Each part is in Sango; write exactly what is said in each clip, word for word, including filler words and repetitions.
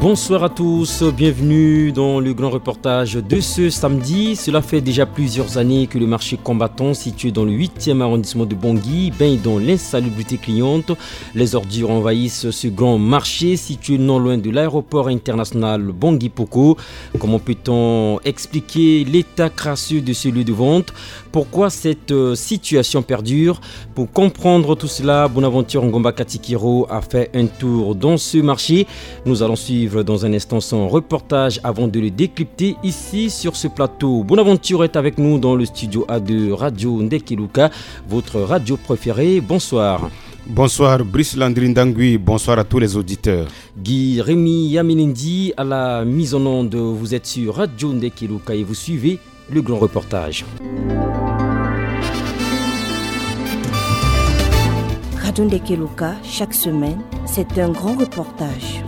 Bonsoir à tous, bienvenue dans le grand reportage de ce samedi. Cela fait déjà plusieurs années que le marché Combattant, situé dans le huitième arrondissement de Bangui, baigne dans l'insalubrité criante. Les ordures envahissent ce grand marché situé non loin de l'aéroport international Bangui Poko. Comment peut-on expliquer l'état crasseux de ce lieu de vente ? Pourquoi cette, euh, situation perdure ? Pour comprendre tout cela, Bonaventure Ngomba Katikiro a fait un tour dans ce marché. Nous allons suivre dans un instant son reportage avant de le décrypter ici sur ce plateau. Bonaventure est avec nous dans le studio A de Radio Ndekeluka, votre radio préférée. Bonsoir. Bonsoir Brice Landry Ndangui, bonsoir à tous les auditeurs. Guy Rémy Yamenendi à la mise en onde. Vous êtes sur Radio Ndekeluka et vous suivez le grand reportage. Radio Ndekeluka, chaque semaine, c'est un grand reportage.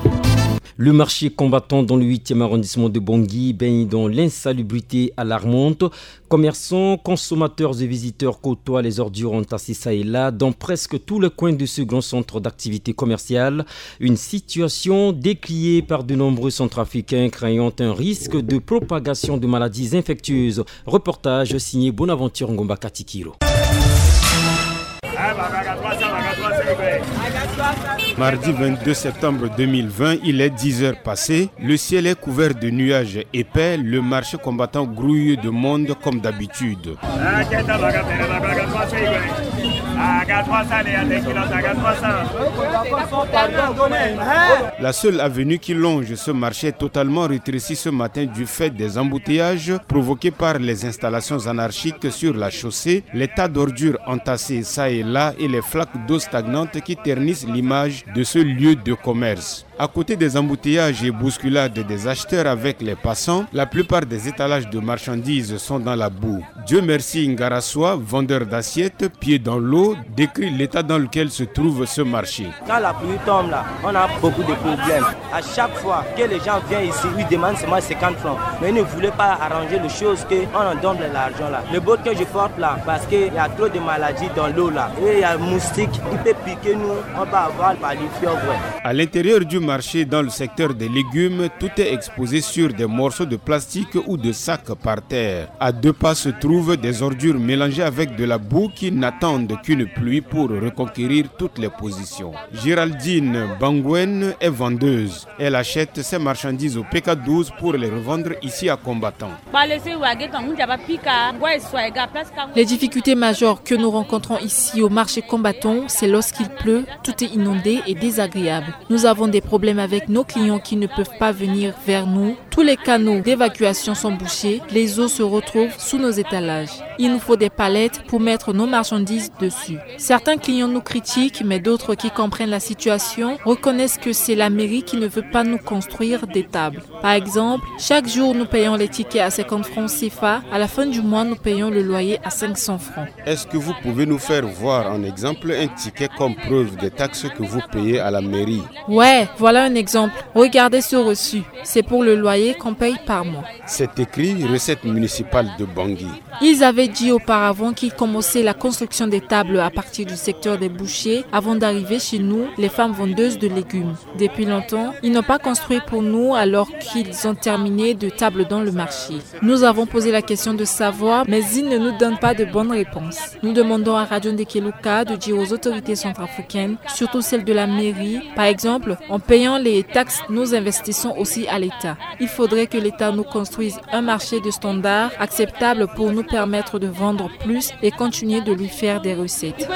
Le marché Combattant dans le huitième arrondissement de Bangui baigne dans l'insalubrité alarmante. Commerçants, consommateurs et visiteurs côtoient les ordures entassées ça et là dans presque tous les coins de ce grand centre d'activité commerciale. Une situation décriée par de nombreux Centrafricains craignant un risque de propagation de maladies infectieuses. Reportage signé Bonaventure Ngomba Katikiro. Mardi vingt-deux septembre deux mille vingt, il est dix heures passées. Le ciel est couvert de nuages épais. Le marché Combattant grouille de monde comme d'habitude. La seule avenue qui longe ce marché est totalement rétrécie ce matin du fait des embouteillages provoqués par les installations anarchiques sur la chaussée, les tas d'ordures entassées ça et là et les flaques d'eau stagnante qui ternissent l'image de ce lieu de commerce. À côté des embouteillages et bousculades des acheteurs avec les passants, la plupart des étalages de marchandises sont dans la boue. Dieu merci, Ngarasois, vendeur d'assiettes, pieds dans l'eau, décrit l'état dans lequel se trouve ce marché. Quand la pluie tombe là, on a beaucoup de problèmes. À chaque fois que les gens viennent ici, ils demandent seulement cinquante francs. Mais ils ne voulaient pas arranger les choses, qu'on en donne l'argent là. Le bot que je porte là, parce qu'il y a trop de maladies dans l'eau là. Et il y a un moustique, il peut piquer nous, on va avoir par le fièvre. À l'intérieur du marché, dans le secteur des légumes, tout est exposé sur des morceaux de plastique ou de sacs par terre. À deux pas se trouvent des ordures mélangées avec de la boue qui n'attendent qu'une pluie pour reconquérir toutes les positions. Géraldine Bangwen est vendeuse. Elle achète ses marchandises au P K douze pour les revendre ici à Combattant. Les difficultés majeures que nous rencontrons ici au marché Combattant, c'est lorsqu'il pleut, tout est inondé et désagréable. Nous avons des problèmes avec nos clients qui ne peuvent pas venir vers nous. Tous les canaux d'évacuation sont bouchés, les eaux se retrouvent sous nos étalages. Il nous faut des palettes pour mettre nos marchandises dessus. Certains clients nous critiquent, mais d'autres qui comprennent la situation reconnaissent que c'est la mairie qui ne veut pas nous construire des tables. Par exemple, chaque jour nous payons les tickets à cinquante francs C F A, à la fin du mois nous payons le loyer à cinq cents francs. Est-ce que vous pouvez nous faire voir en exemple un ticket comme preuve des taxes que vous payez à la mairie ? Ouais, voilà un exemple. Regardez ce reçu. C'est pour le loyer qu'on paye par mois. C'est écrit recette municipale de Bangui. Ils avaient dit auparavant qu'ils commençaient la construction des tables à partir du secteur des bouchers avant d'arriver chez nous, les femmes vendeuses de légumes. Depuis longtemps, ils n'ont pas construit pour nous alors qu'ils ont terminé de table dans le marché. Nous avons posé la question de savoir, mais ils ne nous donnent pas de bonnes réponses. Nous demandons à Radio Ndekeluka de dire aux autorités centrafricaines, surtout celles de la mairie, par exemple, en payant les taxes, nous investissons aussi à l'État. Il faudrait que l'État nous construise un marché de standard acceptable pour nous permettre de vendre plus et continuer de lui faire des recettes.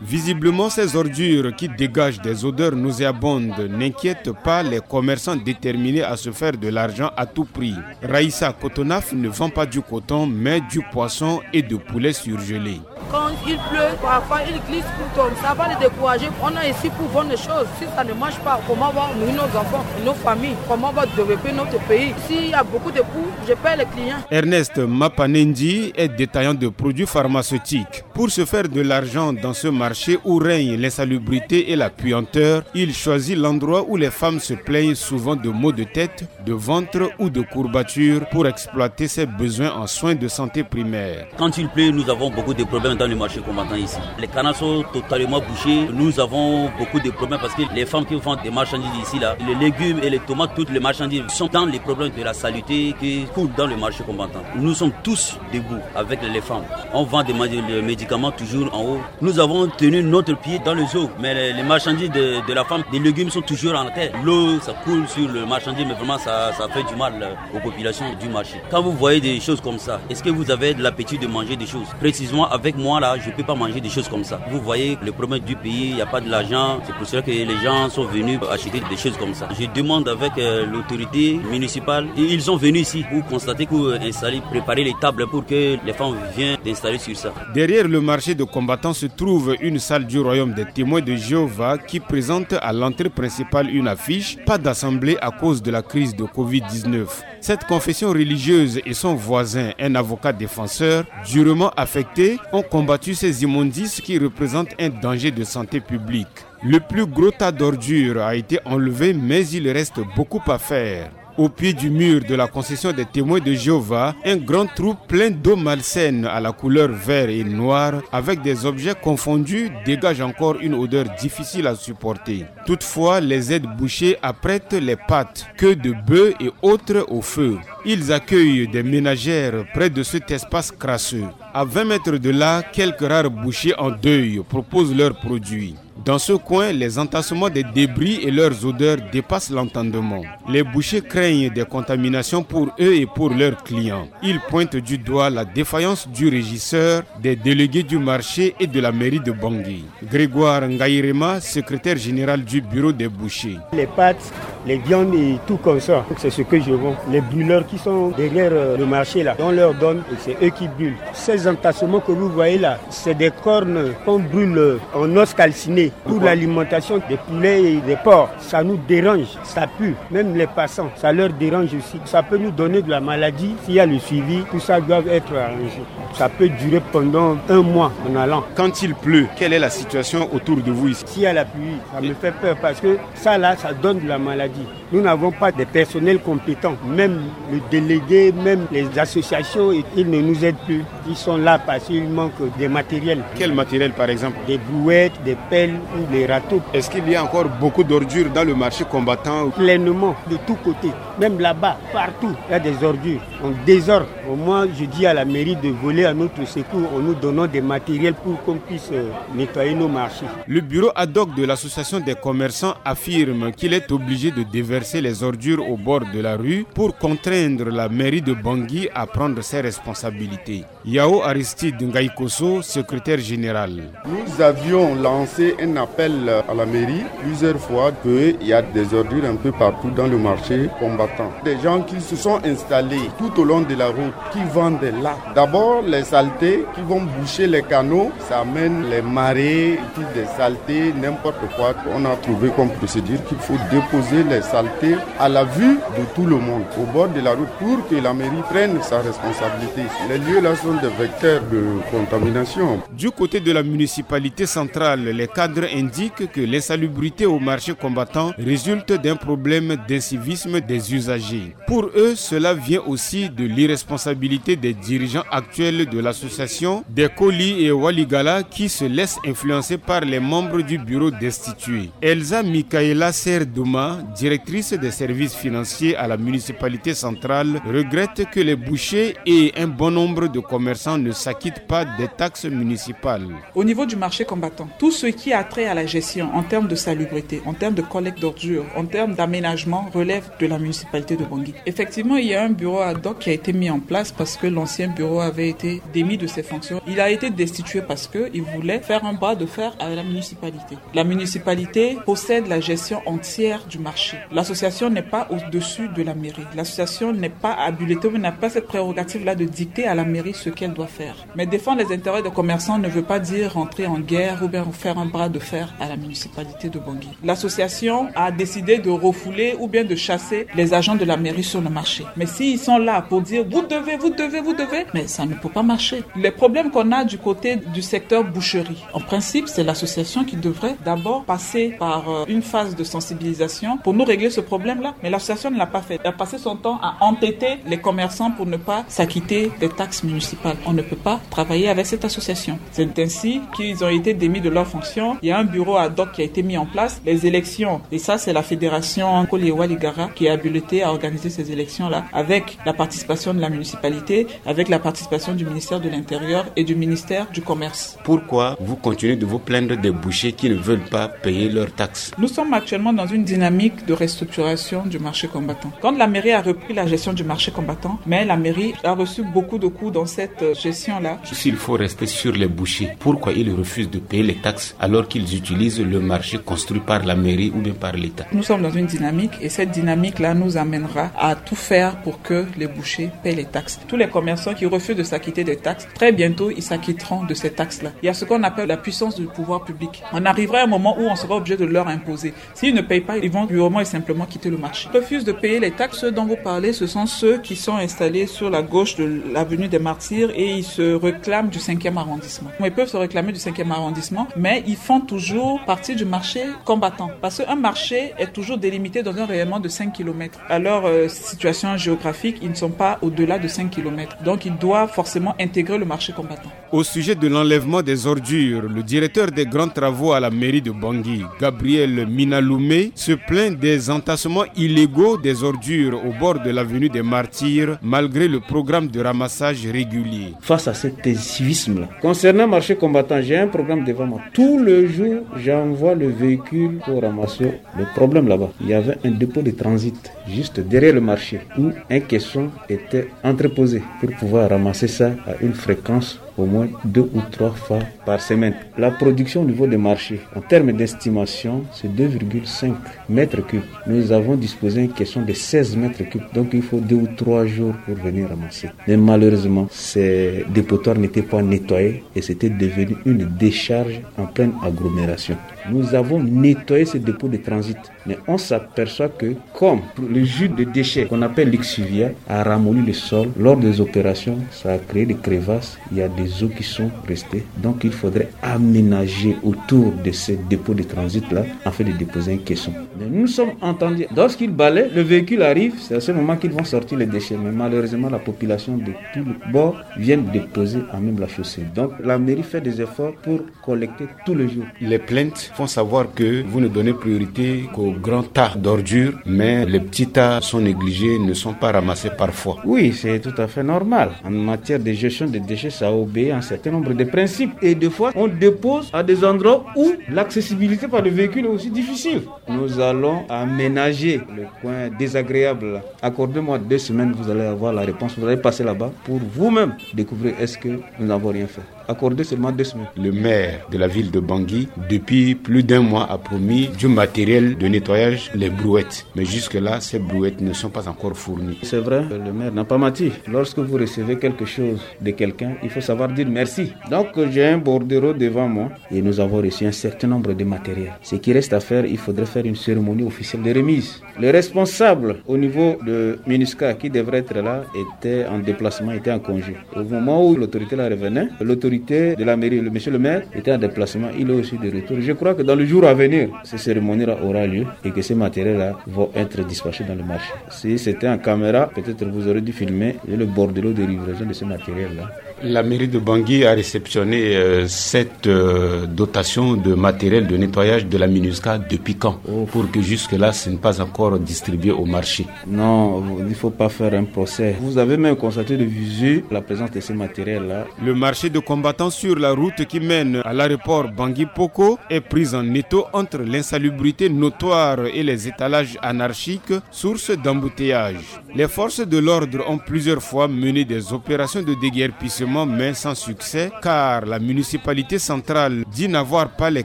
Visiblement, ces ordures qui dégagent des odeurs nauséabondes n'inquiètent pas les commerçants déterminés à se faire de l'argent à tout prix. Raïssa Kotonaf ne vend pas du coton, mais du poisson et de poulet surgelé. Quand il pleut, parfois il glisse pour tomber. Ça va les décourager. On a ici pour vendre les choses. Si ça ne marche pas, comment on va nourrir nos enfants, nos familles ? Comment on va développer notre pays ? S'il y a beaucoup de coûts, je perds les clients. Ernest Mapanendi est détaillant de produits pharmaceutiques. Pour se faire de l'argent dans ce marché où règne l'insalubrité et la puanteur, il choisit l'endroit où les femmes se plaignent souvent de maux de tête, de ventre ou de courbature pour exploiter ses besoins en soins de santé primaire. Quand il pleut, nous avons beaucoup de problèmes dans le marché combattant ici. Les canaux sont totalement bouchés. Nous avons beaucoup de problèmes parce que les femmes qui vendent des marchandises ici, là, les légumes et les tomates, toutes les marchandises sont dans les problèmes de la saleté qui coulent dans le marché combattant. Nous sommes tous debout avec les femmes. On vend des ma- des médicaments toujours en haut. Nous avons tenu notre pied dans les eaux, mais les, les marchandises de, de la femme, des légumes sont toujours en terre. L'eau, ça coule sur le marchandise, mais vraiment, ça, ça fait du mal, euh, aux populations du marché. Quand vous voyez des choses comme ça, est-ce que vous avez l'habitude de manger des choses ? Précisément avec moi, là, je ne peux pas manger des choses comme ça. Vous voyez le problème du pays, il n'y a pas de l'argent. C'est pour cela que les gens sont venus acheter des choses comme ça. Je demande avec, euh, l'autorité municipale. Et ils ont venu ici pour constater, pour, euh, installer, préparer les tables pour que les femmes viennent d'installer sur ça. Derrière le marché de combattants se trouve une salle du royaume des témoins de Jéhovah qui présente à l'entrée principale une affiche « Pas d'assemblée à cause de la crise de covid dix-neuf ». Cette confession religieuse et son voisin, un avocat défenseur, durement affectés, ont combattu ces immondices qui représentent un danger de santé publique. Le plus gros tas d'ordures a été enlevé, mais il reste beaucoup à faire. Au pied du mur de la concession des témoins de Jéhovah, un grand trou plein d'eau malsaine à la couleur vert et noir, avec des objets confondus, dégage encore une odeur difficile à supporter. Toutefois, les aides bouchées apprêtent les pâtes, queues de bœufs et autres au feu. Ils accueillent des ménagères près de cet espace crasseux. À vingt mètres de là, quelques rares bouchers en deuil proposent leurs produits. Dans ce coin, les entassements des débris et leurs odeurs dépassent l'entendement. Les bouchers craignent des contaminations pour eux et pour leurs clients. Ils pointent du doigt la défaillance du régisseur, des délégués du marché et de la mairie de Bangui. Grégoire Ngairema, secrétaire général du bureau des bouchers. Les pâtes, les viandes et tout comme ça, c'est ce que je vends. Les brûleurs qui sont derrière, euh, le marché là, on leur donne et c'est eux qui brûlent. Ces entassements que vous voyez là, c'est des cornes qu'on brûle, euh, en os calciné pour l'alimentation des poulets et des porcs. Ça nous dérange, ça pue. Même les passants, ça leur dérange aussi. Ça peut nous donner de la maladie. S'il y a le suivi, tout ça doit être arrangé. Ça peut durer pendant un mois en allant. Quand il pleut, quelle est la situation autour de vous ici ? S'il y a la pluie, ça me fait peur parce que ça là, ça donne de la maladie. Nous n'avons pas de personnel compétent. Même le délégué, même les associations, ils ne nous aident plus. Ils sont là parce qu'il manque des matériels. Quel matériel, par exemple ? Des brouettes, des pelles ou des râteaux. Est-ce qu'il y a encore beaucoup d'ordures dans le marché combattant ? Pleinement, de tous côtés. Même là-bas, partout, il y a des ordures en désordre. Au moins, je dis à la mairie de voler à notre secours en nous donnant des matériels pour qu'on puisse, euh, nettoyer nos marchés. Le bureau ad hoc de l'association des commerçants affirme qu'il est obligé de déverser les ordures au bord de la rue pour contraindre la mairie de Bangui à prendre ses responsabilités. Yao Aristide Ngaïkoso, secrétaire général. Nous avions lancé un appel à la mairie plusieurs fois qu'il y a des ordures un peu partout dans le marché combattant. Des gens qui se sont installés tout au long de la route, qui vendent là. D'abord, les saletés qui vont boucher les canaux, ça amène les marées, et puis des saletés, n'importe quoi. On a trouvé comme procédure qu'il faut déposer les saletés à la vue de tout le monde, au bord de la route, pour que la mairie prenne sa responsabilité. Les lieux là sont des vecteurs de contamination. Du côté de la municipalité centrale, les cadres indiquent que l'insalubrité au marché combattant résulte d'un problème d'incivisme des usagers. Pour eux, cela vient aussi de l'irresponsabilité des dirigeants actuels de l'association des Koli et Waligala qui se laissent influencer par les membres du bureau destitués. Elsa Michaela Serduma, directrice des services financiers à la municipalité centrale, regrette que les bouchers et un bon nombre de commerçants ne s'acquittent pas des taxes municipales. Au niveau du marché combattant, tout ce qui a trait à la gestion en termes de salubrité, en termes de collecte d'ordures, en termes d'aménagement relève de la municipalité de Bangui. Effectivement, il y a un bureau ad hoc qui a été mis en place parce que l'ancien bureau avait été démis de ses fonctions. Il a été destitué parce qu'il voulait faire un bras de fer à la municipalité. La municipalité possède la gestion entière du marché. L'association n'est pas au-dessus de la mairie. L'association n'est pas habilitée ou n'a pas cette prérogative-là de dicter à la mairie ce qu'elle doit faire. Mais défendre les intérêts des commerçants ne veut pas dire rentrer en guerre ou bien faire un bras de fer à la municipalité de Bangui. L'association a décidé de refouler ou bien de chasser les agents de la mairie sur le marché. Mais s'ils sont là pour dire : « Vous devez, vous devez, vous devez », mais ça ne peut pas marcher. Les problèmes qu'on a du côté du secteur boucherie, en principe, c'est l'association qui devrait d'abord passer par, euh, une phase de sensibilisation pour Nous régler ce problème-là. Mais l'association ne l'a pas fait. Elle a passé son temps à entêter les commerçants pour ne pas s'acquitter des taxes municipales. On ne peut pas travailler avec cette association. C'est ainsi qu'ils ont été démis de leurs fonctions. Il y a un bureau ad hoc qui a été mis en place. Les élections, et ça, c'est la fédération Koli Waligara qui est habilitée à organiser ces élections-là, avec la participation de la municipalité, avec la participation du ministère de l'Intérieur et du ministère du Commerce. Pourquoi vous continuez de vous plaindre des bouchers qui ne veulent pas payer leurs taxes ? Nous sommes actuellement dans une dynamique de restructuration du marché combattant. Quand la mairie a repris la gestion du marché combattant, mais la mairie a reçu beaucoup de coups dans cette, euh, gestion-là. S'il faut rester sur les bouchers, pourquoi ils refusent de payer les taxes alors qu'ils utilisent le marché construit par la mairie ou bien par l'État ? Nous sommes dans une dynamique et cette dynamique-là nous amènera à tout faire pour que les bouchers paient les taxes. Tous les commerçants qui refusent de s'acquitter des taxes, très bientôt, ils s'acquitteront de ces taxes-là. Il y a ce qu'on appelle la puissance du pouvoir public. On arrivera à un moment où on sera obligé de leur imposer. S'ils ne payent pas, ils vont purement et simplement quitter le marché. Ils refusent de payer les taxes. Ceux dont vous parlez, ce sont ceux qui sont installés sur la gauche de l'avenue des Martyrs et ils se réclament du cinquième arrondissement. Ils peuvent se réclamer du cinquième arrondissement, mais ils font toujours partie du marché combattant. Parce qu'un marché est toujours délimité dans un rayonnement de cinq kilomètres. À leur, euh, situation géographique, ils ne sont pas au-delà de cinq kilomètres. Donc, ils doivent forcément intégrer le marché combattant. Au sujet de l'enlèvement des ordures, le directeur des grands travaux à la mairie de Bangui, Gabriel Minaloumé, se plaint des entassements illégaux des ordures au bord de l'avenue des Martyrs, malgré le programme de ramassage régulier. Face à cet incivisme-là, concernant le marché combattant, j'ai un programme devant moi. Tous les jours, j'envoie le véhicule pour ramasser le problème là-bas. Il y avait un dépôt de transit juste derrière le marché où un caisson était entreposé pour pouvoir ramasser ça à une fréquence au moins deux ou trois fois par semaine. La production au niveau des marchés, en termes d'estimation, c'est deux virgule cinq mètres cubes. Nous avons disposé une caisson de seize mètres cubes. Donc, il faut deux ou trois jours pour venir ramasser. Mais malheureusement, ces dépotoirs n'étaient pas nettoyés et c'était devenu une décharge en pleine agglomération. Nous avons nettoyé ce dépôt de transit. Mais on s'aperçoit que, comme le jus de déchets qu'on appelle l'exuvia a ramolli le sol, lors des opérations, ça a créé des crevasses, il y a des eaux qui sont restées. Donc il faudrait aménager autour de ces dépôts de transit-là afin de déposer un caisson. Mais nous sommes entendus. Lorsqu'ils balaient, le véhicule arrive, c'est à ce moment qu'ils vont sortir les déchets. Mais malheureusement, la population de tout le bord vient déposer à même la chaussée. Donc la mairie fait des efforts pour collecter tous les jours. Les plaintes font savoir que vous ne donnez priorité qu'aux grands tas d'ordures, mais les petits tas sont négligés, ne sont pas ramassés parfois. Oui, c'est tout à fait normal. En matière de gestion des déchets, ça obéit à un certain nombre de principes. Et des fois, on dépose à des endroits où l'accessibilité par le véhicule est aussi difficile. Nous allons aménager le coin désagréable. Accordez-moi deux semaines, vous allez avoir la réponse. Vous allez passer là-bas pour vous-même découvrir est-ce que nous n'avons rien fait. Accordez seulement deux semaines. Le maire de la ville de Bangui, depuis plus d'un mois, a promis du matériel de nettoyage, les brouettes. Mais jusque-là, ces brouettes ne sont pas encore fournies. C'est vrai, le maire n'a pas menti. Lorsque vous recevez quelque chose de quelqu'un, il faut savoir dire merci. Donc, j'ai un bordereau devant moi et nous avons reçu un certain nombre de matériel. Ce qui reste à faire, il faudrait faire une cérémonie officielle de remise. Le responsable au niveau de MINUSCA qui devrait être là était en déplacement, était en congé. Au moment où l'autorité la revenait, l'autorité de la mairie, le monsieur le maire, était en déplacement, il est aussi de retour. Je crois que dans le jour à venir, ces cérémonies-là aura lieu et que ces matériels-là vont être dispatchés dans le marché. Si c'était en caméra, peut-être vous aurez dû filmer le bordereau de livraison de ces matériels-là. La mairie de Bangui a réceptionné, euh, cette, euh, dotation de matériel de nettoyage de la MINUSCA depuis quand ? Oh. Pour que jusque-là, ce n'est pas encore distribué au marché. Non, il ne faut pas faire un procès. Vous avez même constaté de visu la présence de ces matériels-là. Le marché de combattants sur la route qui mène à l'aéroport Bangui Poko est pris en étau entre l'insalubrité notoire et les étalages anarchiques, source d'embouteillage. Les forces de l'ordre ont plusieurs fois mené des opérations de déguerpissement, mais sans succès, car la municipalité centrale dit n'avoir pas les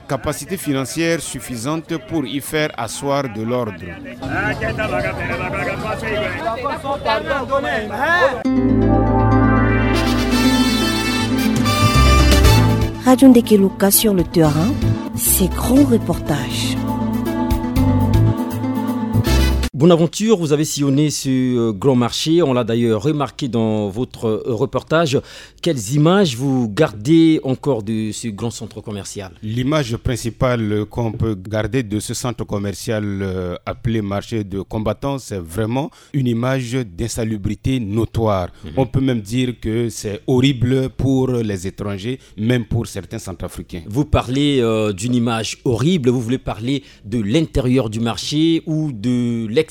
capacités financières suffisantes pour y faire asseoir de l'ordre. Radio Ndeke Luka sur le terrain, ses grands reportages. Bonaventure, vous avez sillonné ce euh, grand marché, on l'a d'ailleurs remarqué dans votre euh, reportage. Quelles images vous gardez encore de ce grand centre commercial ? L'image principale qu'on peut garder de ce centre commercial euh, appelé marché de combattants, c'est vraiment une image d'insalubrité notoire. Mhm. On peut même dire que c'est horrible pour les étrangers, même pour certains centrafricains. Vous parlez euh, d'une image horrible, vous voulez parler de l'intérieur du marché ou de l'extérieur ?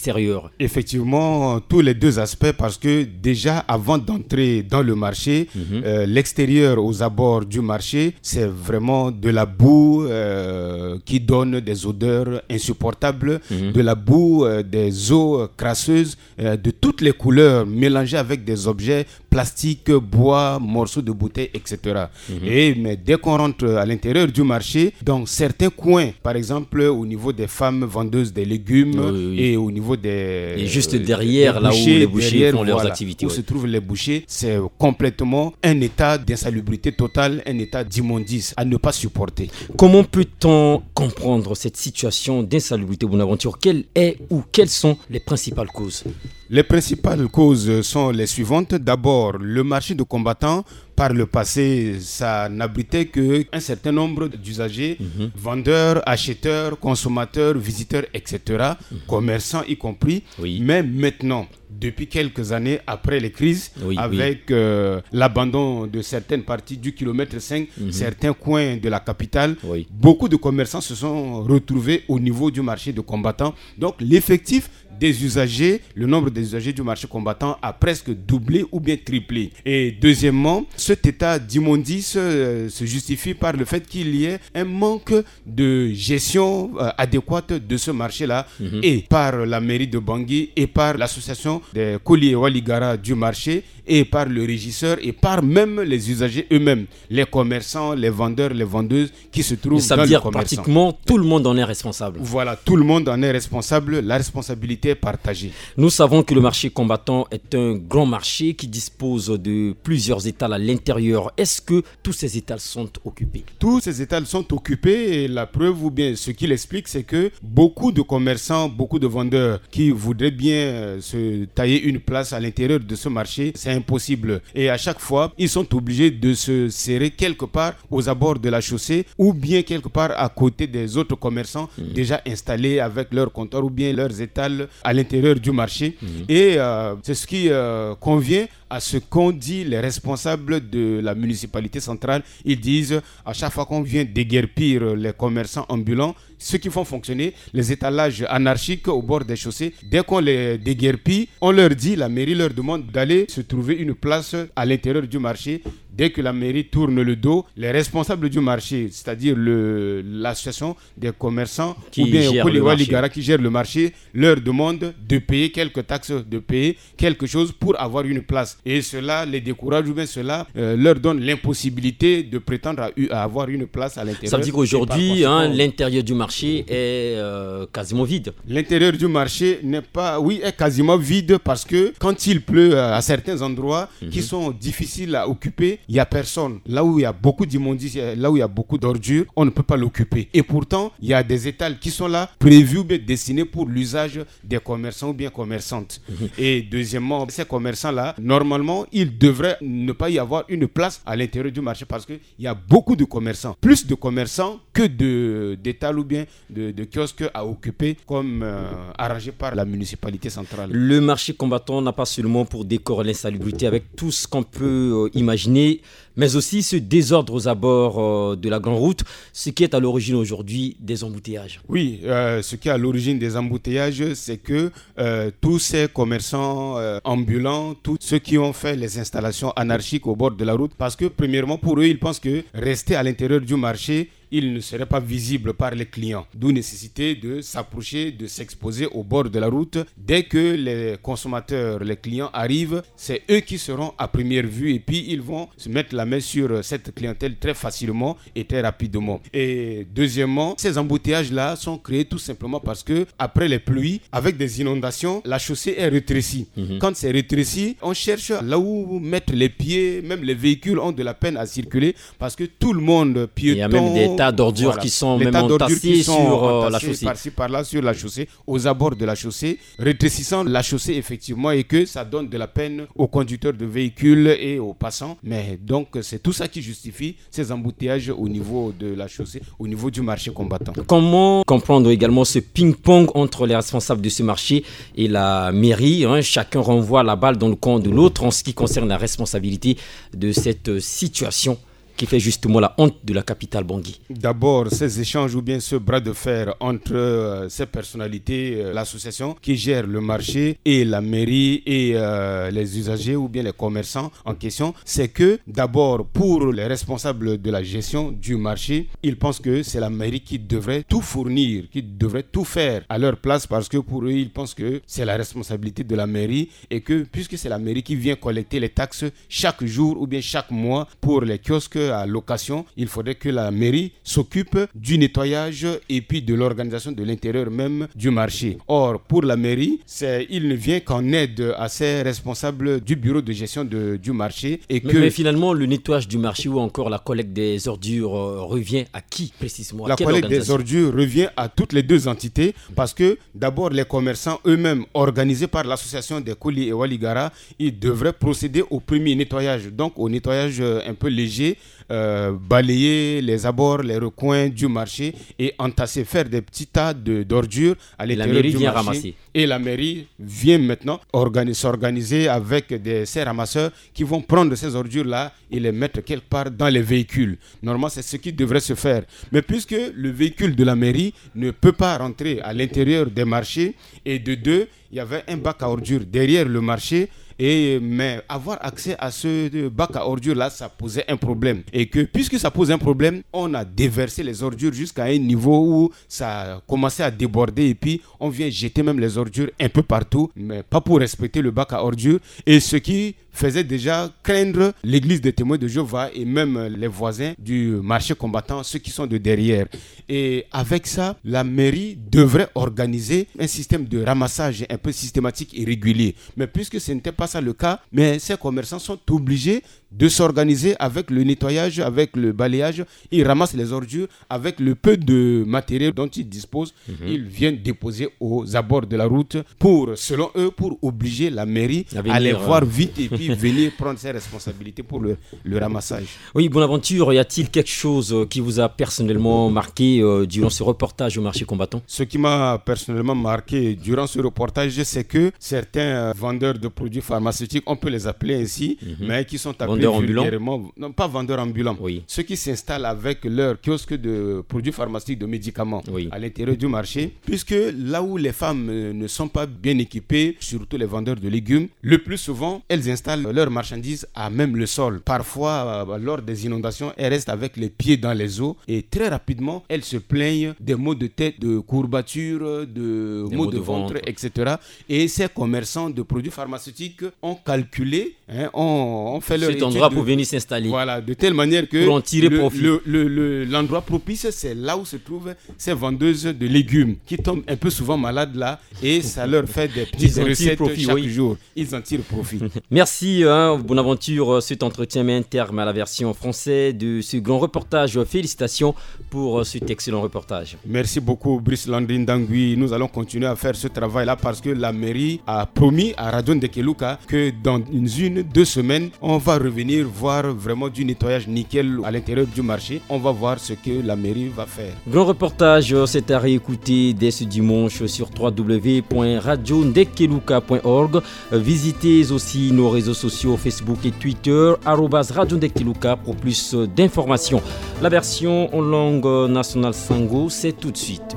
Effectivement, tous les deux aspects, parce que déjà avant d'entrer dans le marché, mhm, euh, l'extérieur aux abords du marché, c'est vraiment de la boue euh, qui donne des odeurs insupportables, mhm, de la boue, euh, des eaux euh, crasseuses, euh, de toutes les couleurs, mélangées avec des objets plastique, bois, morceaux de bouteille, et cetera. Mhm. Et, mais dès qu'on rentre à l'intérieur du marché, dans certains coins, par exemple au niveau des femmes vendeuses des légumes, oui, oui, et au niveau des... Et juste euh, derrière, là où les bouchers derrière, font leurs voilà, activités, où ouais, se trouvent les bouchers, c'est complètement un état d'insalubrité totale, un état d'immondice à ne pas supporter. Comment peut-on comprendre cette situation d'insalubrité, Bonaventure ? Quelle est ou quelles sont les principales causes ? Les principales causes sont les suivantes. D'abord, le marché de combattants, par le passé, ça n'abritait que un certain nombre d'usagers, mhm, vendeurs, acheteurs, consommateurs, visiteurs, et cetera, mhm, commerçants y compris. Oui. Mais maintenant, depuis quelques années, après les crises, oui, oui, avec euh, l'abandon de certaines parties du kilomètre cinq, mhm, certains coins de la capitale, oui, beaucoup de commerçants se sont retrouvés au niveau du marché de combattants. Donc, l'effectif des usagers, le nombre des usagers du marché combattant a presque doublé ou bien triplé. Et deuxièmement, cet état d'immondice euh, se justifie par le fait qu'il y ait un manque de gestion euh, adéquate de ce marché-là, mhm, et par la mairie de Bangui et par l'association des Koli et Waligara du marché et par le régisseur et par même les usagers eux-mêmes, les commerçants, les vendeurs, les vendeuses qui se trouvent dans le commerçant. Ça veut dire pratiquement tout le monde en est responsable. Voilà, tout le monde en est responsable. La responsabilité est partagée. Nous savons que le marché combattant est un grand marché qui dispose de plusieurs étals à l'intérieur. Est-ce que tous ces étals sont occupés ? Tous ces étals sont occupés et la preuve, ou bien ce qu'il explique, c'est que beaucoup de commerçants, beaucoup de vendeurs qui voudraient bien euh, se tailler une place à l'intérieur de ce marché, c'est impossible. Et à chaque fois, ils sont obligés de se serrer quelque part aux abords de la chaussée ou bien quelque part à côté des autres commerçants, mhm, déjà installés avec leurs comptoirs ou bien leurs étals à l'intérieur du marché. Mhm. Et euh, c'est ce qui euh, convient à ce qu'ont dit les responsables de la municipalité centrale. Ils disent, à chaque fois qu'on vient déguerpir les commerçants ambulants, ceux qui font fonctionner les étalages anarchiques au bord des chaussées, dès qu'on les déguerpit, on leur dit, la mairie leur demande d'aller se trouver une place à l'intérieur du marché. Dès que la mairie tourne le dos, les responsables du marché, c'est-à-dire le, l'association des commerçants, qui ou bien gère Koli et Waligara qui gère le marché, leur demandent de payer quelques taxes, de payer quelque chose pour avoir une place. Et cela les décourage ou bien cela euh, leur donne l'impossibilité de prétendre à, à avoir une place à l'intérieur. Ça veut dire qu'aujourd'hui, hein, l'intérieur du marché est euh, quasiment vide. L'intérieur du marché n'est pas, oui, est quasiment vide parce que quand il pleut euh, à certains endroits, mhm, qui sont difficiles à occuper, il y a personne. Là où il y a beaucoup d'immondices, là où il y a beaucoup d'ordures, on ne peut pas l'occuper. Et pourtant, il y a des étals qui sont là, prévus, mais destinés pour l'usage des commerçants ou bien commerçantes. Mhm. Et deuxièmement, ces commerçants-là, normalement, ils devraient ne pas y avoir une place à l'intérieur du marché parce qu'il y a beaucoup de commerçants, plus de commerçants que de, d'étals ou bien de, de kiosques à occuper, comme euh, arrangé par la municipalité centrale. Le marché combattant n'a pas seulement pour décor l'insalubrité avec tout ce qu'on peut euh, imaginer, mais aussi ce désordre aux abords euh, de la grande route, ce qui est à l'origine aujourd'hui des embouteillages. Oui, euh, ce qui est à l'origine des embouteillages, c'est que euh, tous ces commerçants euh, ambulants, tous ceux qui ont fait les installations anarchiques au bord de la route, parce que premièrement, pour eux, ils pensent que rester à l'intérieur du marché, ils ne seraient pas visibles par les clients. D'où nécessité de s'approcher, de s'exposer au bord de la route. Dès que les consommateurs, les clients arrivent, c'est eux qui seront à première vue et puis ils vont se mettre la main sur cette clientèle très facilement et très rapidement. Et deuxièmement, ces embouteillages-là sont créés tout simplement parce que après les pluies, avec des inondations, la chaussée est rétrécie. Mhm. Quand c'est rétréci, on cherche là où mettre les pieds, même les véhicules ont de la peine à circuler parce que tout le monde, piétons, tas d'ordures qui sont même entassées sur la chaussée, par-ci par-là sur la chaussée, aux abords de la chaussée, rétrécissant la chaussée effectivement, et que ça donne de la peine aux conducteurs de véhicules et aux passants. Mais donc c'est tout ça qui justifie ces embouteillages au niveau de la chaussée, au niveau du marché Combattant. Comment comprendre également ce ping-pong entre les responsables de ce marché et la mairie, hein ? Chacun renvoie la balle dans le camp de l'autre en ce qui concerne la responsabilité de cette situation qui fait justement la honte de la capitale Bangui. D'abord, ces échanges ou bien ce bras de fer entre euh, ces personnalités, euh, l'association qui gère le marché et la mairie et euh, les usagers ou bien les commerçants en question, c'est que d'abord pour les responsables de la gestion du marché, ils pensent que c'est la mairie qui devrait tout fournir, qui devrait tout faire à leur place, parce que pour eux, ils pensent que c'est la responsabilité de la mairie et que puisque c'est la mairie qui vient collecter les taxes chaque jour ou bien chaque mois pour les kiosques à location, il faudrait que la mairie s'occupe du nettoyage et puis de l'organisation de l'intérieur même du marché. Or, pour la mairie, c'est, il ne vient qu'en aide à ses responsables du bureau de gestion de, du marché. Et mais, que mais finalement, le nettoyage du marché ou encore la collecte des ordures euh, revient à qui précisément ? La collecte des ordures revient à toutes les deux entités, parce que d'abord, les commerçants eux-mêmes, organisés par l'association des Koli et Waligara, ils devraient procéder au premier nettoyage, donc au nettoyage euh, un peu léger, euh, balayer les abords, les recoins du marché et entasser, faire des petits tas de, d'ordures à l'intérieur du marché. Et la mairie vient maintenant organi-, s'organiser avec des, ces ramasseurs qui vont prendre ces ordures-là et les mettre quelque part dans les véhicules. Normalement, c'est ce qui devrait se faire. Mais puisque le véhicule de la mairie ne peut pas rentrer à l'intérieur des marchés, et de deux, il y avait un bac à ordures derrière le marché. Et, mais avoir accès à ce bac à ordures-là, ça posait un problème. Et que, puisque ça pose un problème, on a déversé les ordures jusqu'à un niveau où ça commençait à déborder. Et puis, on vient jeter même les ordures un peu partout, mais pas pour respecter le bac à ordures. Et ce qui faisait déjà craindre l'église des Témoins de Jéhovah et même les voisins du marché Combattant, ceux qui sont de derrière. Et avec ça, la mairie devrait organiser un système de ramassage un peu systématique et régulier. Mais puisque ce n'était pas ça le cas, mais ces commerçants sont obligés de s'organiser avec le nettoyage, avec le balayage. Ils ramassent les ordures avec le peu de matériel dont ils disposent. Mhm. Ils viennent déposer aux abords de la route pour, selon eux, pour obliger la mairie à les voir vite et puis venir prendre ses responsabilités pour le, le ramassage. Oui, Bonaventure, y a-t-il quelque chose euh, qui vous a personnellement marqué euh, durant ce reportage au marché Combattant ? Ce qui m'a personnellement marqué durant ce reportage, c'est que certains euh, vendeurs de produits pharmaceutiques, on peut les appeler ainsi, mhm, mais qui sont appelés vendeurs ambulants, vulgairement, non, pas vendeurs ambulants, oui, ceux qui s'installent avec leur kiosque de produits pharmaceutiques, de médicaments, oui, à l'intérieur du marché, puisque là où les femmes euh, ne sont pas bien équipées, surtout les vendeurs de légumes, le plus souvent, elles installent leurs marchandises à même le sol. Parfois, euh, lors des inondations, elles restent avec les pieds dans les eaux et très rapidement, elles se plaignent des maux de tête, de courbatures, de maux de ventre, et cetera. Et ces commerçants de produits pharmaceutiques ont calculé, hein, ont, ont fait leur étude de, cet endroit pour venir s'installer. Voilà, de telle manière que pour en tirer profit, le, le, le, l'endroit propice, c'est là où se trouvent ces vendeuses de légumes qui tombent un peu souvent malades là, et ça leur fait des petites recettes chaque jour. Ils en tirent profit. Merci, hein, Bonaventure. Cet entretien met un terme à la version française de ce grand reportage. Félicitations pour euh, cet excellent reportage. Merci beaucoup, Brice Landry Ndangui. Nous allons continuer à faire ce travail-là parce que la mairie a promis à Radio Ndekeluka que dans une, une, deux semaines, on va revenir voir vraiment du nettoyage nickel à l'intérieur du marché. On va voir ce que la mairie va faire. Grand reportage, euh, c'est à réécouter dès ce dimanche sur trois w point radio ndekeluka point org. Visitez aussi nos réseaux sociaux Facebook et Twitter, arobase Radio Ndekeluka, pour plus d'informations. La version en langue nationale Sango, c'est tout de suite.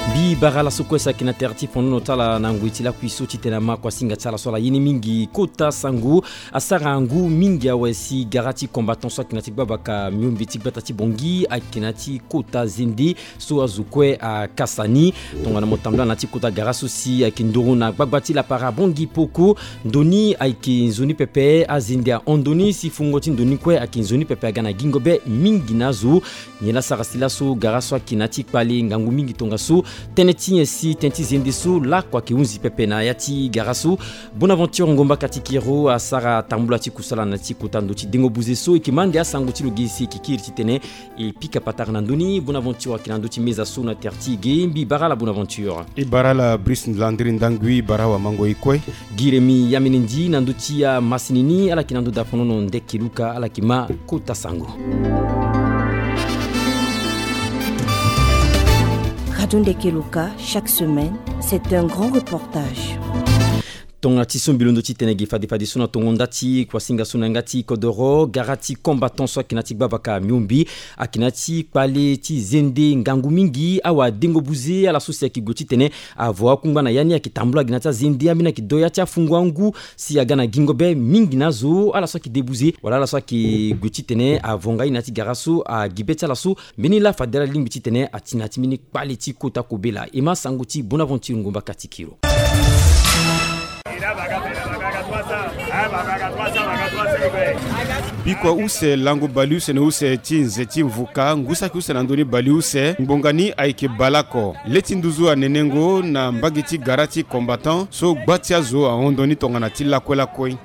Mbi bara laso kue saki na tere ti fonono ti ala na ngoi ti lakui so titene ama kua singa ti ala so ala ye ni mingi kota sango. Asara ngu mingi awe si gara ti combattant so ayeke na ti gbabaka miombe ti gbata ti Bangui ayeke na ti kota zende so azo kue akasa ni. Tongana mo tambula na ti kota gara so si ayeke nduru na gbagba ti lapara Bangui Poko, ndo ni ayeke nzoni pepe. Azende ahon ndo ni si fungo ti ndo ni kue ayeke nzoni pepe aga na gingo be mingi na azo. Nyen la sara si laso gara so ayeke na ti kpale ngangu mingi tongaso tënë Ti nyen si tënë ti zende so lakue ayeke hunzi pepe na ya ti gara so. Bonaventure Ngomba Katikiro asara tambula ti kusala na ti kota ndo ti dengo buze so e yeke ma ande asango ti lo gi si e yeke kiri titene e pika patara na ndö ni. Bonaventure ayeke na ndö ti meza so na tere ti e ge. Mbi bara ala Bonaventure. E bara ala Brice Landry Ndangui, bara wamango e kue. Gi remi ya mene ndi na ndö ti amasini ni ala yeke na ndö dafonono Ndeke Luka ala yeke ma kota sango. Radio Ndeke Luka, chaque semaine, c'est un grand reportage. Tongana ti so mbi londo titene gi fade fade so na tongo nda ti kuasinga so na yanga ti kodoro, gara ti combattant so ayeke na ti gbabaka miombi ayeke na ti kpale ti zende ngangu mingi. Awadengo buze ala so si ayeke gue titene avo akungba na ya ni ayeke tambula gi na ti azende ambeni ayeke do ya ti afungo angu si aga na gingo be mingi na azo. Ala so ayeke de buze wala ala so ayeke gue titene avo nga ye na ya ti gara so agi be ti ala so. Mbeni laa fade ala lingbi titene ati na ya ti mbeni kpale ti kota kobela. E ma sango ti Bonaventure Ngomba Katikiro. Bikua use lango bale use na use ti nze ti mvuka ngu saki use na ndö ni bale use ngbonga ni ayeke baleoko. Le ti nduzu anenengo na mbage ti gara ti combattant so gba ti azo ahon ndo ni tongana ti lakue lakue.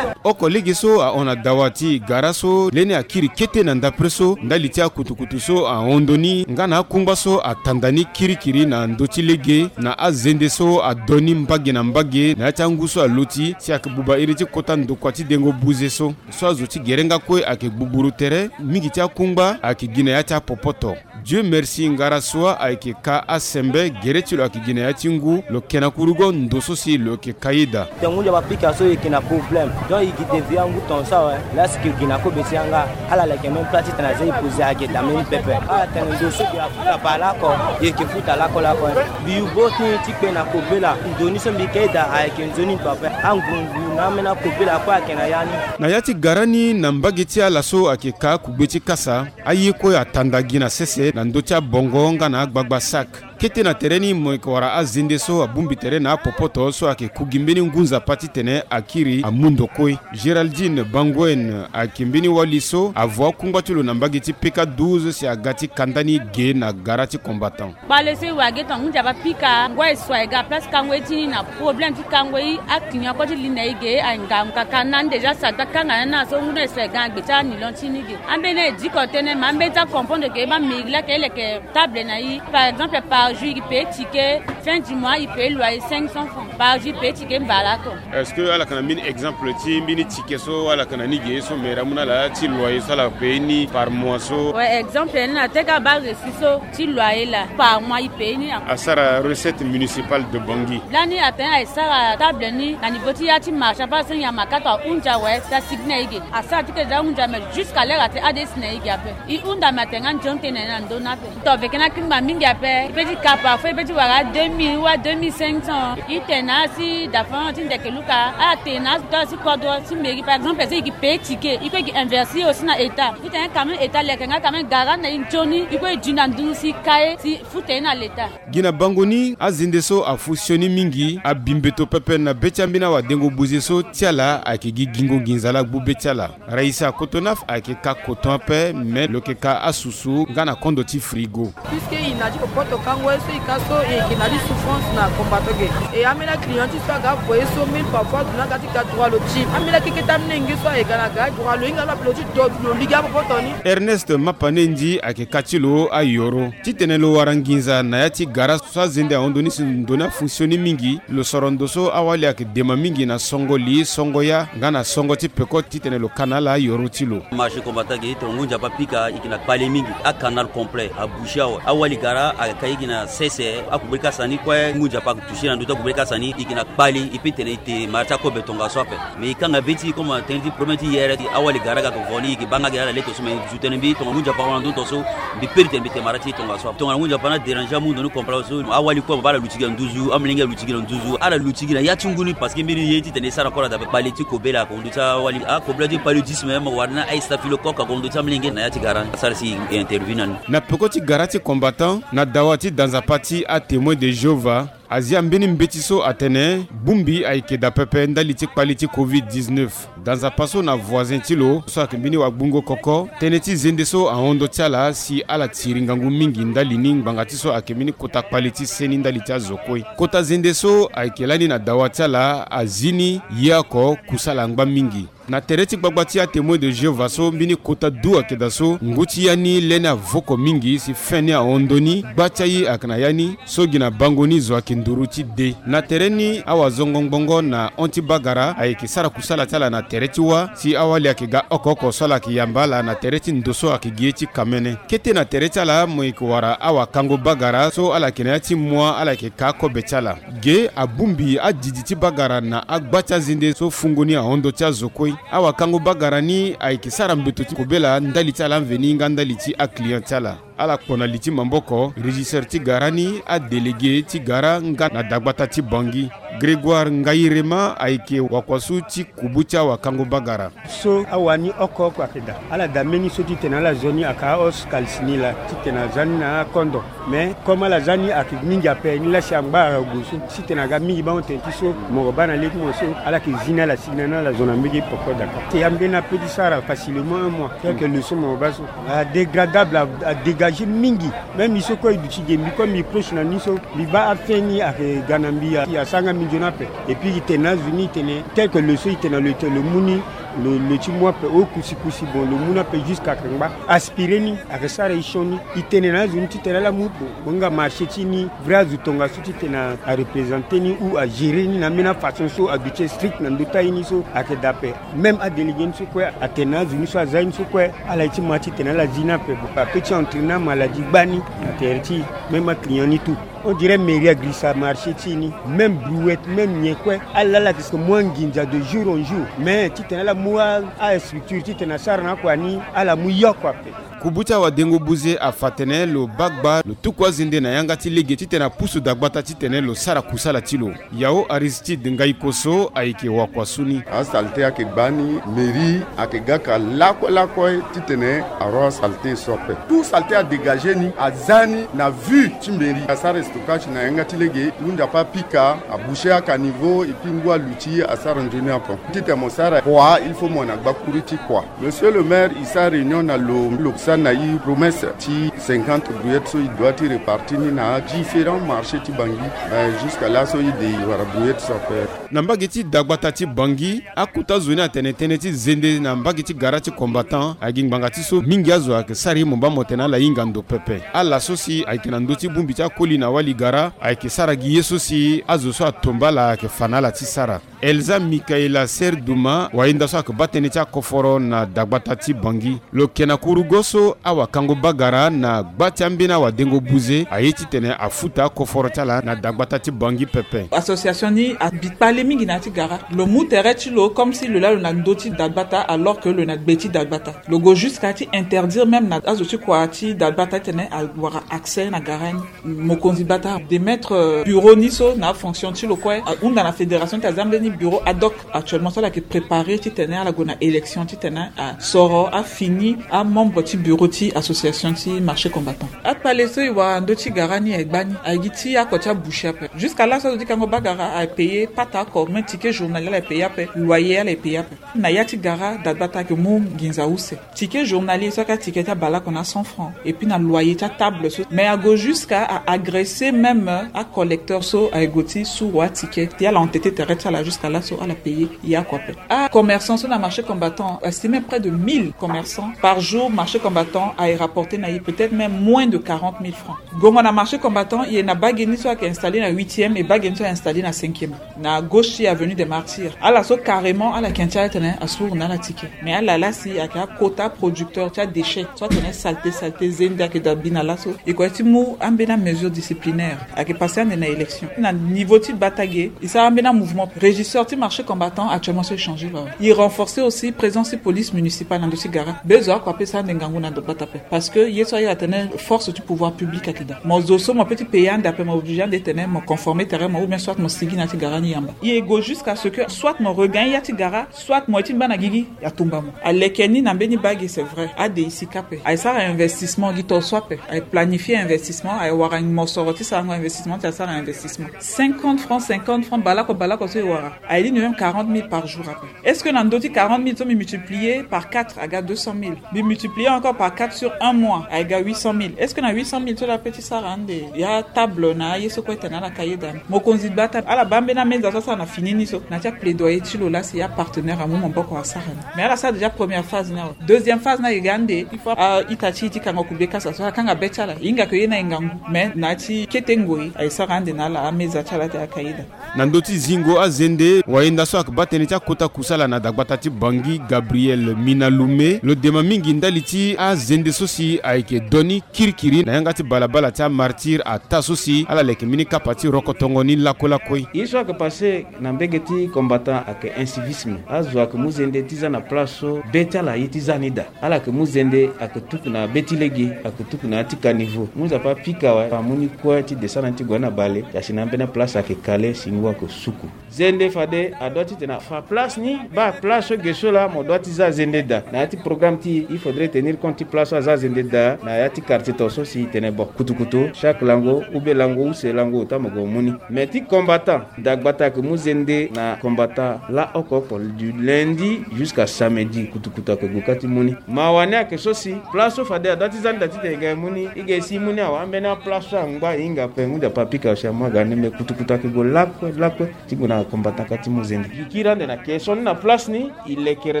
Oko lege so ahon na dawa ti gara so leni akiri kete na ndapre so ndali ti akutukutu so ahon ndo ni nga na akungba so atanda ni kirikiri na ndö ti lege na azende so ado ni mbage na mbage na ya ti angu so aloti si ayeke buba iri ti kota ndokua ti dengo buze so. So azo ti gere nga kue ayeke gbugburu tere mingi ti akungba ayeke gi na ya ti apopoto. Dieu merci ngara so ayeke ka asembe gere ti lo ayeke gi na ya ti ngu lo yeke na kurugo ndo so si lo yeke ka ye daa. Tongo ndia bapika so e yeke na problème donc e gi devia ngu tonso awe. Laa si e gi na kobe ti yanga ala leke même plat titene aza e poze age daa même pepe ala tene ndo so mbi afuta baleoko. E yeke futa lakue lakue. Mbi yu bo ti ni ti kpe na kobela ndo ni so mbi ka ye daa ayeke nzoni pepe. Angungu na ambeni akobela kue ayeke na ya ni. Na ya ti gara ni na mbage ti ala so ayeke ka akugbe ti kasa. Aye kue atanda gi na sese na ndö ti abongo nga na agbagba sak. Kete na tere ni mo yeke wara azende so abongbi tere na apopoto so ayeke ku gi mbeni ngu nzapa titene akiri amu ndo kue. Géraldine Banguen ayeke mbeni wali so avo akungba ti lo na mbage ti P K douze si aga ti kanda ni ge na gara ti combattant. Kpale so e wara ge tonga ngu nzapa pika ngoi e so aye ga place kango ye ti ni na problème ti kango ye. Aclient kue ti li na e ge aye ngangu kaka na ni déjà sara ti akanga na ni na so ngu na e so aye ga na gbe ti anilon ti ni ge. Ambeni aye diko tënë me ambeni ti acomprendre ke ba mairie laa ke e leke table na e. Par exemple par jour e paye ticket, fin du mois e paye loyer cinq cents francs par jour e paye ticket mbala oko. Est-ce que ala yeke na mbeni exemple ti mbeni ticket so ala yeke na ni ge so mairie amu na ala ti loyer so ala paye ni par mois so? Ouais, exemple ni na teka ba reçu so ti loyer laa par mois e paye ni. Asara recette municipale de Bangui. Lani atene aye sara table ni na niveau ti ya ti marché ape asengi ya makato ahunzi awe si asigi na e ge. Asara ti ke za hunzi ame jusqu'à l'heure atene ade si na e ge ape. E hunda me atene nga nzoni tënë na ndö ni ape. Tongana veke na akingba mingi ape e pe ti ka parfois e pe ti wara deux mille ou deux mille cinq cents. E tene na ala si dafa ti ndeke luka ala tene na ala si kodro ti mairie par exemple si e yeke paye ticket e kue e yeke investir aussi na état. E tene quand même état leke nga quand même gara na e nzoni e kue e duti na nduru si e ka ye si e futa ye na l'état. Gi na bango ni azende so afu sioni mingi abi mbeto pepe na be ti ambeni awadengo buze so ti ala ayeke gi gingo nginza laa agbu be ti ala. Raïssa Kotonaf ayeke ka coton ape me lo yeke ka asusu nga na kondo ti frigo. Puisque e na ti popoto kango ye so e ka so e yeke na ti souffrance na combattant ge. E ambeni aclient ti so aga avo ye so même parfois azo ni aga ti ka droit lo ti ambeni akeketa amolenge so aye ga na ga droit lo hinga lo ape lo ti do lo ligi apopoto ni. Ernest Mapanendi ayeke ka ti lo ayoro titene lo wara nginza na ya ti gara so azende ahon ndo ni si ndo ni afonctionne mingi. Lo soro ndo so awali ayeke dema mingi na songo li songo ya nga na songo ti peko titene lo ka na ala ayoro ti lo. Marché combattant ge tongana ngu nzapa pika e yeke na kpale mingi. Acanal complet abouché awe. Awali gara ayeke ka e gi na sese akubiri kasa ni kue ngu nzapa ayeke touché na ndö ti akubiri kasa ni e yeke na kpale e pe tene e te mara ti akobe tongaso ape. Mais e kanga be ti e comme atene ti problème ti yere ti awali gara ga tonga ni e yeke baa nga gi ala leke so me zu tënë mbi tongana ngu nzapa ahon na ndö ni tongaso. Mbi pe ti tene mbi te mara ti e tongaso ape tongana ngu nzapa ni adéranger amu ndo ni complet so awali kue mo baa ala luti gi na nduzu amolenge aluti gi na nduzu ala luti gi na ya ti ngu ni parce que mbeni ye titene e sara encore adabe kpale ti kobela akondo ti awali akobela ti paludisme mo wara ni aye staphylocoque akondo ti amolenge na ya ti gara ni asara si e interview na ni. Na peko ti gara ti combattant na dawa ti Nzapa ti aTémoin de Jéhovah azia mbeni mbeti so atene bongbi ayeke daa pepe ndali ti kpali ti covid dix-neuf. Daa nzapa so na voisin ti lo so ayeke mbeni wagbungo koko, tënë ti zende so ahon ndö ti ala si ala tiri ngangu mingi ndali ni ngbanga ti so ayeke mbeni kota kpali ti seni ndali ti azo kue. Kota zende so ayeke lani na dawa ti ala azi ni ye oko kusala angba mingi. Na tere ti gbagba ti aTémoin de Jéhovah so mbeni kota du ayeke daa so ngu ti ya ni lê ni avoko mingi si fin ni ahon ndö ni, gba ti aye ayeke na ya ni so gi na bango ni zo ayeke nduru ti de. Na tere ni awazongo ngbongo na hon ti bagara ayeke sara kusala ti ala na tere ti wâ si awali ayeke ga oko oko so ala yeke yamba ala na tere ti ndo so ayeke gi ye ti kamene. Kete na tere ti ala mo yeke wara awakango bagara so ala yeke na ya ti mua ala yeke ka akobe ti ala. Ge abongbi adidi ti bagara na agba ti azende so fungo ni ahon ndö ti azo kue. Awakango bagara ni ayeke sara mbeto ti kobela ndali ti ala mveni nga ndali ti aclient ti ala. Ala kpo na li ti maboko régisseur ti gara ni, adélégué ti gara nga na dagbata ti Bangui. Grégoire Ngayirema ayeke wakuasu ti kubu ti awakango bagara. So awani oko oko ayeke daa, ala daa mbeni so titene ala zo ni aka ahausse kalisi ni laa titene aza ni na akondo. Mais comme ala za ni ayeke mingi ape, ni laa si angba ague so titene aga mingi baa hon tene ti so moro baa na le ti mo so ala yeke zi ni ala si ni na ni ala zo na mbege poko daka. Te ya mbeni ape ti sara facilement un mois, quelques leçons moro baa so adégradable, adégagé mingi. Même mbi so kue e duti ge, mbi kue mbi proche na ni so mbi baa afin ni ayeke ga na mbi, asara nga mbi nzoni ape. Et puis e tene na azo ni e tene quelques leçons e tene na lo, e tene lo mu ni, lo, lo ti mu ape o kusi kusi. Bon, lo mu ni ape jusqu'à ayeke ngba, aspiré ni, ayeke sara e sioni. E tene na azo ni titene ala mu, bon, nga marché ti ni, vrai azo tongaso titene areprésenter ni ou agérer ni na ambeni afaçon so aduti strict na ndö ti aye ni so ayeke daa ape. Même adélégué ni so kue atene na azo ni so aza ye ni so kue, ala ye ti ma titene ala zi ni ape. Bon, ape ti entraîner amaladie gbani na tere ti e. Même aclient ni tout. On dirait mairie agrisa marché ti e ni. Même brouette, même nyen kue, ala, ala yeke mu anginza de jour en jour. Mais titene ala mu a, astructure titene asara na akua ni, ala mu ye oko ape. Kubu ti awadengo buze afa atene lo baa gba lo tuku azende na yanga ti lege titene apusu dagbata titene lo sara kusala ti lo. Yao Aristide Ngaikoso ayeke wakuasu ni. Asalte ayeke gbani, mairie ayeke ga ka lakue lakue titene aroi asalte so ape. Tout salte adégagé ni, aza ni na vue ti mairie. Asara stockage na yanga ti lege, hunzi ape apika, aboucher acaniveau, et puis ngu aluti asara nzoni ape. Titene mo sara kua, il faut mo na gbakuru ti kua. Monsieur le maire, e sara réunion na lo, lo sara na e promesse ti cinquante brouettes so e doit ti répartir ni na différents marchés ti Bangui. Mais jusqu'à là so e de e wara brouettes so ape. Na mbage ti dagbata ti Bangui, akota zo ni atene tënë ti zende na mbage ti gara ti combattant agi ngbanga ti so mingi azo ayeke sara ye mo baa mo tene ala hinga ndo pepe. Ala so si ayeke na ndö ti bongbi ti akoli na wali gara ayeke sara gi ye so si azo so atomba ala ayeke fa na ala ti sara. Elsa Michaela Serduma, wayenda so ayeke baa tënë ti akoforo na dagbata ti Bangui. Lo yeke na kurugo so awakango bagara na gba ti ambeni awadengo buze aye titene afuta akoforo ti ala na dagbata ti Bangui pepe. Association ni abi kpale mingi na ya ti gara. Lo mu tere ti lo comme si lo laa lo na ndö ti dagbata alors que lo na gbe ti dagbata. Lo gue jusqu'à ti interdire même na azo ti kua ti dagbata titene awara accès na gara ni. Mokonzi gbata de mettre, euh, bureau ni so na afonction ti lo kue, ahunda na fédération ti aza mbeni bureau ad hoc actuellement so ala yeke préparer titene ala gue na élection titene asoro afini amembre ti bureau ti association ti marché combattant. Akpale so e wara ndö ti gara ni aye gbani aye gi ti oko ti aboucher ape. Jusqu'à là so azo ti kango bagara aye payer pata oko, même ticket journalier ala ye payer ape, loyer ala ye payer ape. Na ya ti gara dagbata ayeke mu nginza use. Ticket journalier so ayeke aticket ti abale oko na cent francs. Et puis na loyer ti atable so. Mais ague jusqu'à a agresser même acollecteur so aye gue ti suru aticket. Ti ala entêter tere ti ala jusqu'à là so ala payer ye oko ape. Acommerçant so na marché combattant, estimé près de mille commerçants. Par jour, marché combattant aye rapporter na ye peut-être même moins de quarante mille francs. Gongo na marché combattant, e na bage ni so ayeke installer na huitième et bage ni so aye installer na cinquième. Na gauche ti avenue des Martyrs. Ala so carrément ala yeke tya titene asuru na ala ticket. Mais ala laa si ayeke akota producteur ti adéchet so atene saleté saleté zende ayeke daa bi na laso. E ko ye ti mu ambeni amesure disciplinaire. Ayeke passer ande na élection. Na niveau ti gbata ge, e sara ambeni amouvement. Sortie marché combattant actuellement so échangé ba. Il renforcer aussi présence ti police municipale na ndo ti gara. Bezo ako apesa ande ngangu na ndo gbata pe. Parce que ye so aye atene force ti pouvoir public ayeke daa. Mo zo so mo peut ti payer ande ape, mo obligé ande tene mo conformer terrain mo ou bien soit mo sigi na ya ti gara ni yamba. Il go jusqu'à ce que soit mo regagne ya ti gara, soit mo ye ti mba na gigi atumba mo. Aleke ni na mbeni bage, c'est vrai. Ade e sika ape. Aye sara investissement gi to so ape. Aye planifier investissement, aye wara mosoro ti sarango investissement ti aye sara investissement. Cinquante francs, cinquante francs, balako balako so e wara. Aye li ni même quarante mille par jour ape. Est-ce que na ndo ti quarante mille so mbi multiplier par quatre aga deux cent mille? Mbi multiplier encore par quatre sur un mois, aye ga huit cent mille. Est-ce que na huit cent mille so la pe ti sara ande ya table na aye so kue tene ala ka yeda ni? Mokonzi gbata ala baa mbeni ameza so asara na fini ni so na ya ti aplaidoyer ti lo la si ya partenaire amu maboko asara ni. Mais ala sara déjà première phase ni awe. Deuxième phase ni aye ga ande il faut a-ita ti e ti kango kube kasa so akanga be ti ala. E hinga ke ye ni aye ngangu. Mais na ya ti kete ngoi aye sara ande na ala ameza ti ala ti akayeda. Na ndö ti zingo azende, wayenda so ayeke baa tënë ti akota kusala na dagbata ti Bangui, Gabriel Minalume, lo dema mingi ndali ti azende so si ayeke doni kirikiri na yanga ti balabala ti amartyr ataa so si ala leke mbeni kapa ti rokotongo ni lakue lakue. Ye so ayeke passe na mbege ti combattant ayeke incivisme. Azo ayeke mu zende ti za na place so be ti ala aye ti za ni daa. Ala yeke mu zende ayeke tuku na be ti lege, ayeke tuku na ya ti caniveau. Mu Nzapa apika awe, amu ni kue ti descendre ni ti gue na bale, ya si na ambeni aplace ayeke kale si ngu ayeke suku. Zende fade adoit ti tene afa place ni, baa place so ge so laa mo doit ti za zende daa. Na ya ti programme ti e, il faudrait tenir compte ti place so aza zende daa na ya ti quartier to so si e tene bon, kutukutu chaque lango ou be lango use lango ota mo gue mu ni. Mais ti combattant, dagbata ayeke mu zende na combattant laa oko oko du lundi jusqu'à samedi, kutukutu ayeke gue kâ ti mu ni. Mawa ni ayeke so si place so fade adoit ti za ni daa titene e ga e mu ni, e ga e si e mu ni awe, ambeni aplace so angba e hinga ape, ngu Nzapa apika si amu aga ni, mais kutukutu ayeke gue lakue lakue ti gue na combattant kâ ti mu zende. E kiri ande na ke so ni na place ni, e lekere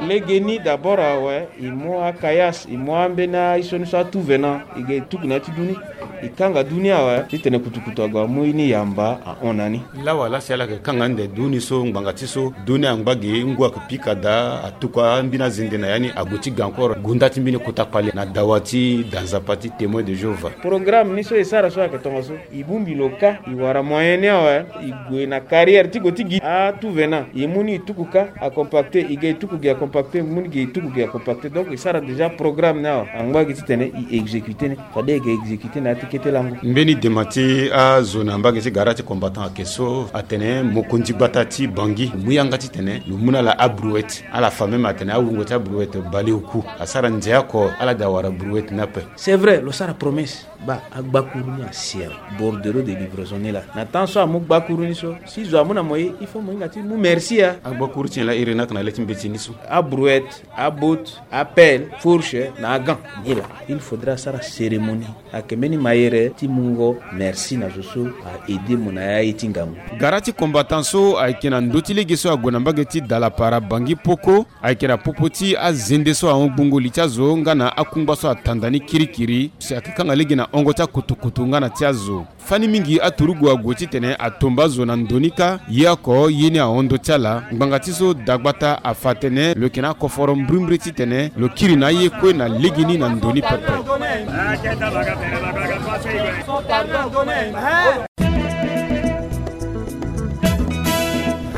lege ni d'abord awe, e mu akayas, e mu ambeni aye so ni so atu venant, e ga e tuku na ya ti du ni. E kanga du ni awe titene kutukutu ague amu ye ni yamba ahon na ni. Lawa laa si ala yeke kanga ande du ni so ngbanga ti so du ni angba ge, ngu ayeke pika daa, atuku ambeni azende na ya ni ague ti ga encore, gonda ti mbeni kota kpale na dawa ti da Nzapa ti Témoin de Jéhovah. Programme ni so e sara so ayeke tongaso, e bongbi lo kâ, e wara moyen ni awe, e gue na carrière ti gue ti gi atu venant, e mu ni e tuku kâ acompacté, e ga e tuku gi acompacté, e mu ni gi e tuku gi acompacté. Donc e sara déjà programme ni awe, angba gi titene e exécuté ni. Fade e ga exécuté na ya ti kete lango. Mbeni dema ti azo na mbage ti gara ti combattant ayeke so atene mokonzi gbata ti Bangui mu yanga titene lo mu na ala abrouette. Ala fa même atene awungo ti abrouette baleoku asara nze oko, ala daa wara brouette ni ape. C'est vrai, lo sara promesse. Baa agbakuru ni asi awe, bordereau de livraison ni laa. Na temps so amu gbakuru ni so, si zo amu na mo ye, il faut mo hinga ti mu merci a. Agbakuru ti nyen laa? Iri ni ayeke na le ti mbeti ni so. Abrouette, abotte, apelle, fourche na agant. Nyen laa? Il faudra asara cérémonie. Ayeke mbeni mayere ti mungo merci na zo so a aider mo na ya ye ti ngangu. Gara ti combattant so ayeke na ndö ti lege so ague na mbage ti Dalapara, Bangui, Poko. Ayeke na popo ti azende so ahon gbungo li ti azo nga na akungba so atanda ni kirikiri si ayeke kanga lege na hongo ti akutukutu nga na ti azo. Fani mingi aturugu ague titene atomba azo na ndo ni kâ, ye oko ye ni ahon ndo ti ala. Ngbanga ti so dagbata afa atene lo yeke na akoforo mbrimbri titene lo kiri na aye kue na legeni na ndo ni pepe.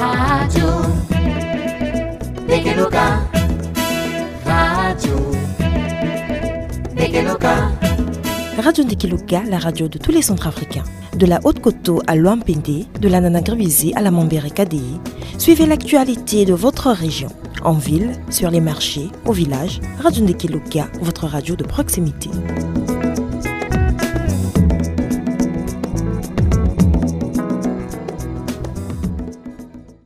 Radio Ndekeloka. Radio Ndekeloka. Radio Ndekeloka, la radio de tous les Centrafricains. De la Haute-Koto à Loampende, de la Nana-Gribizé à la Mambere Kadéé, suivez l'actualité de votre région. En ville, sur les marchés, au village, Radio Ndekeloka, votre radio de proximité.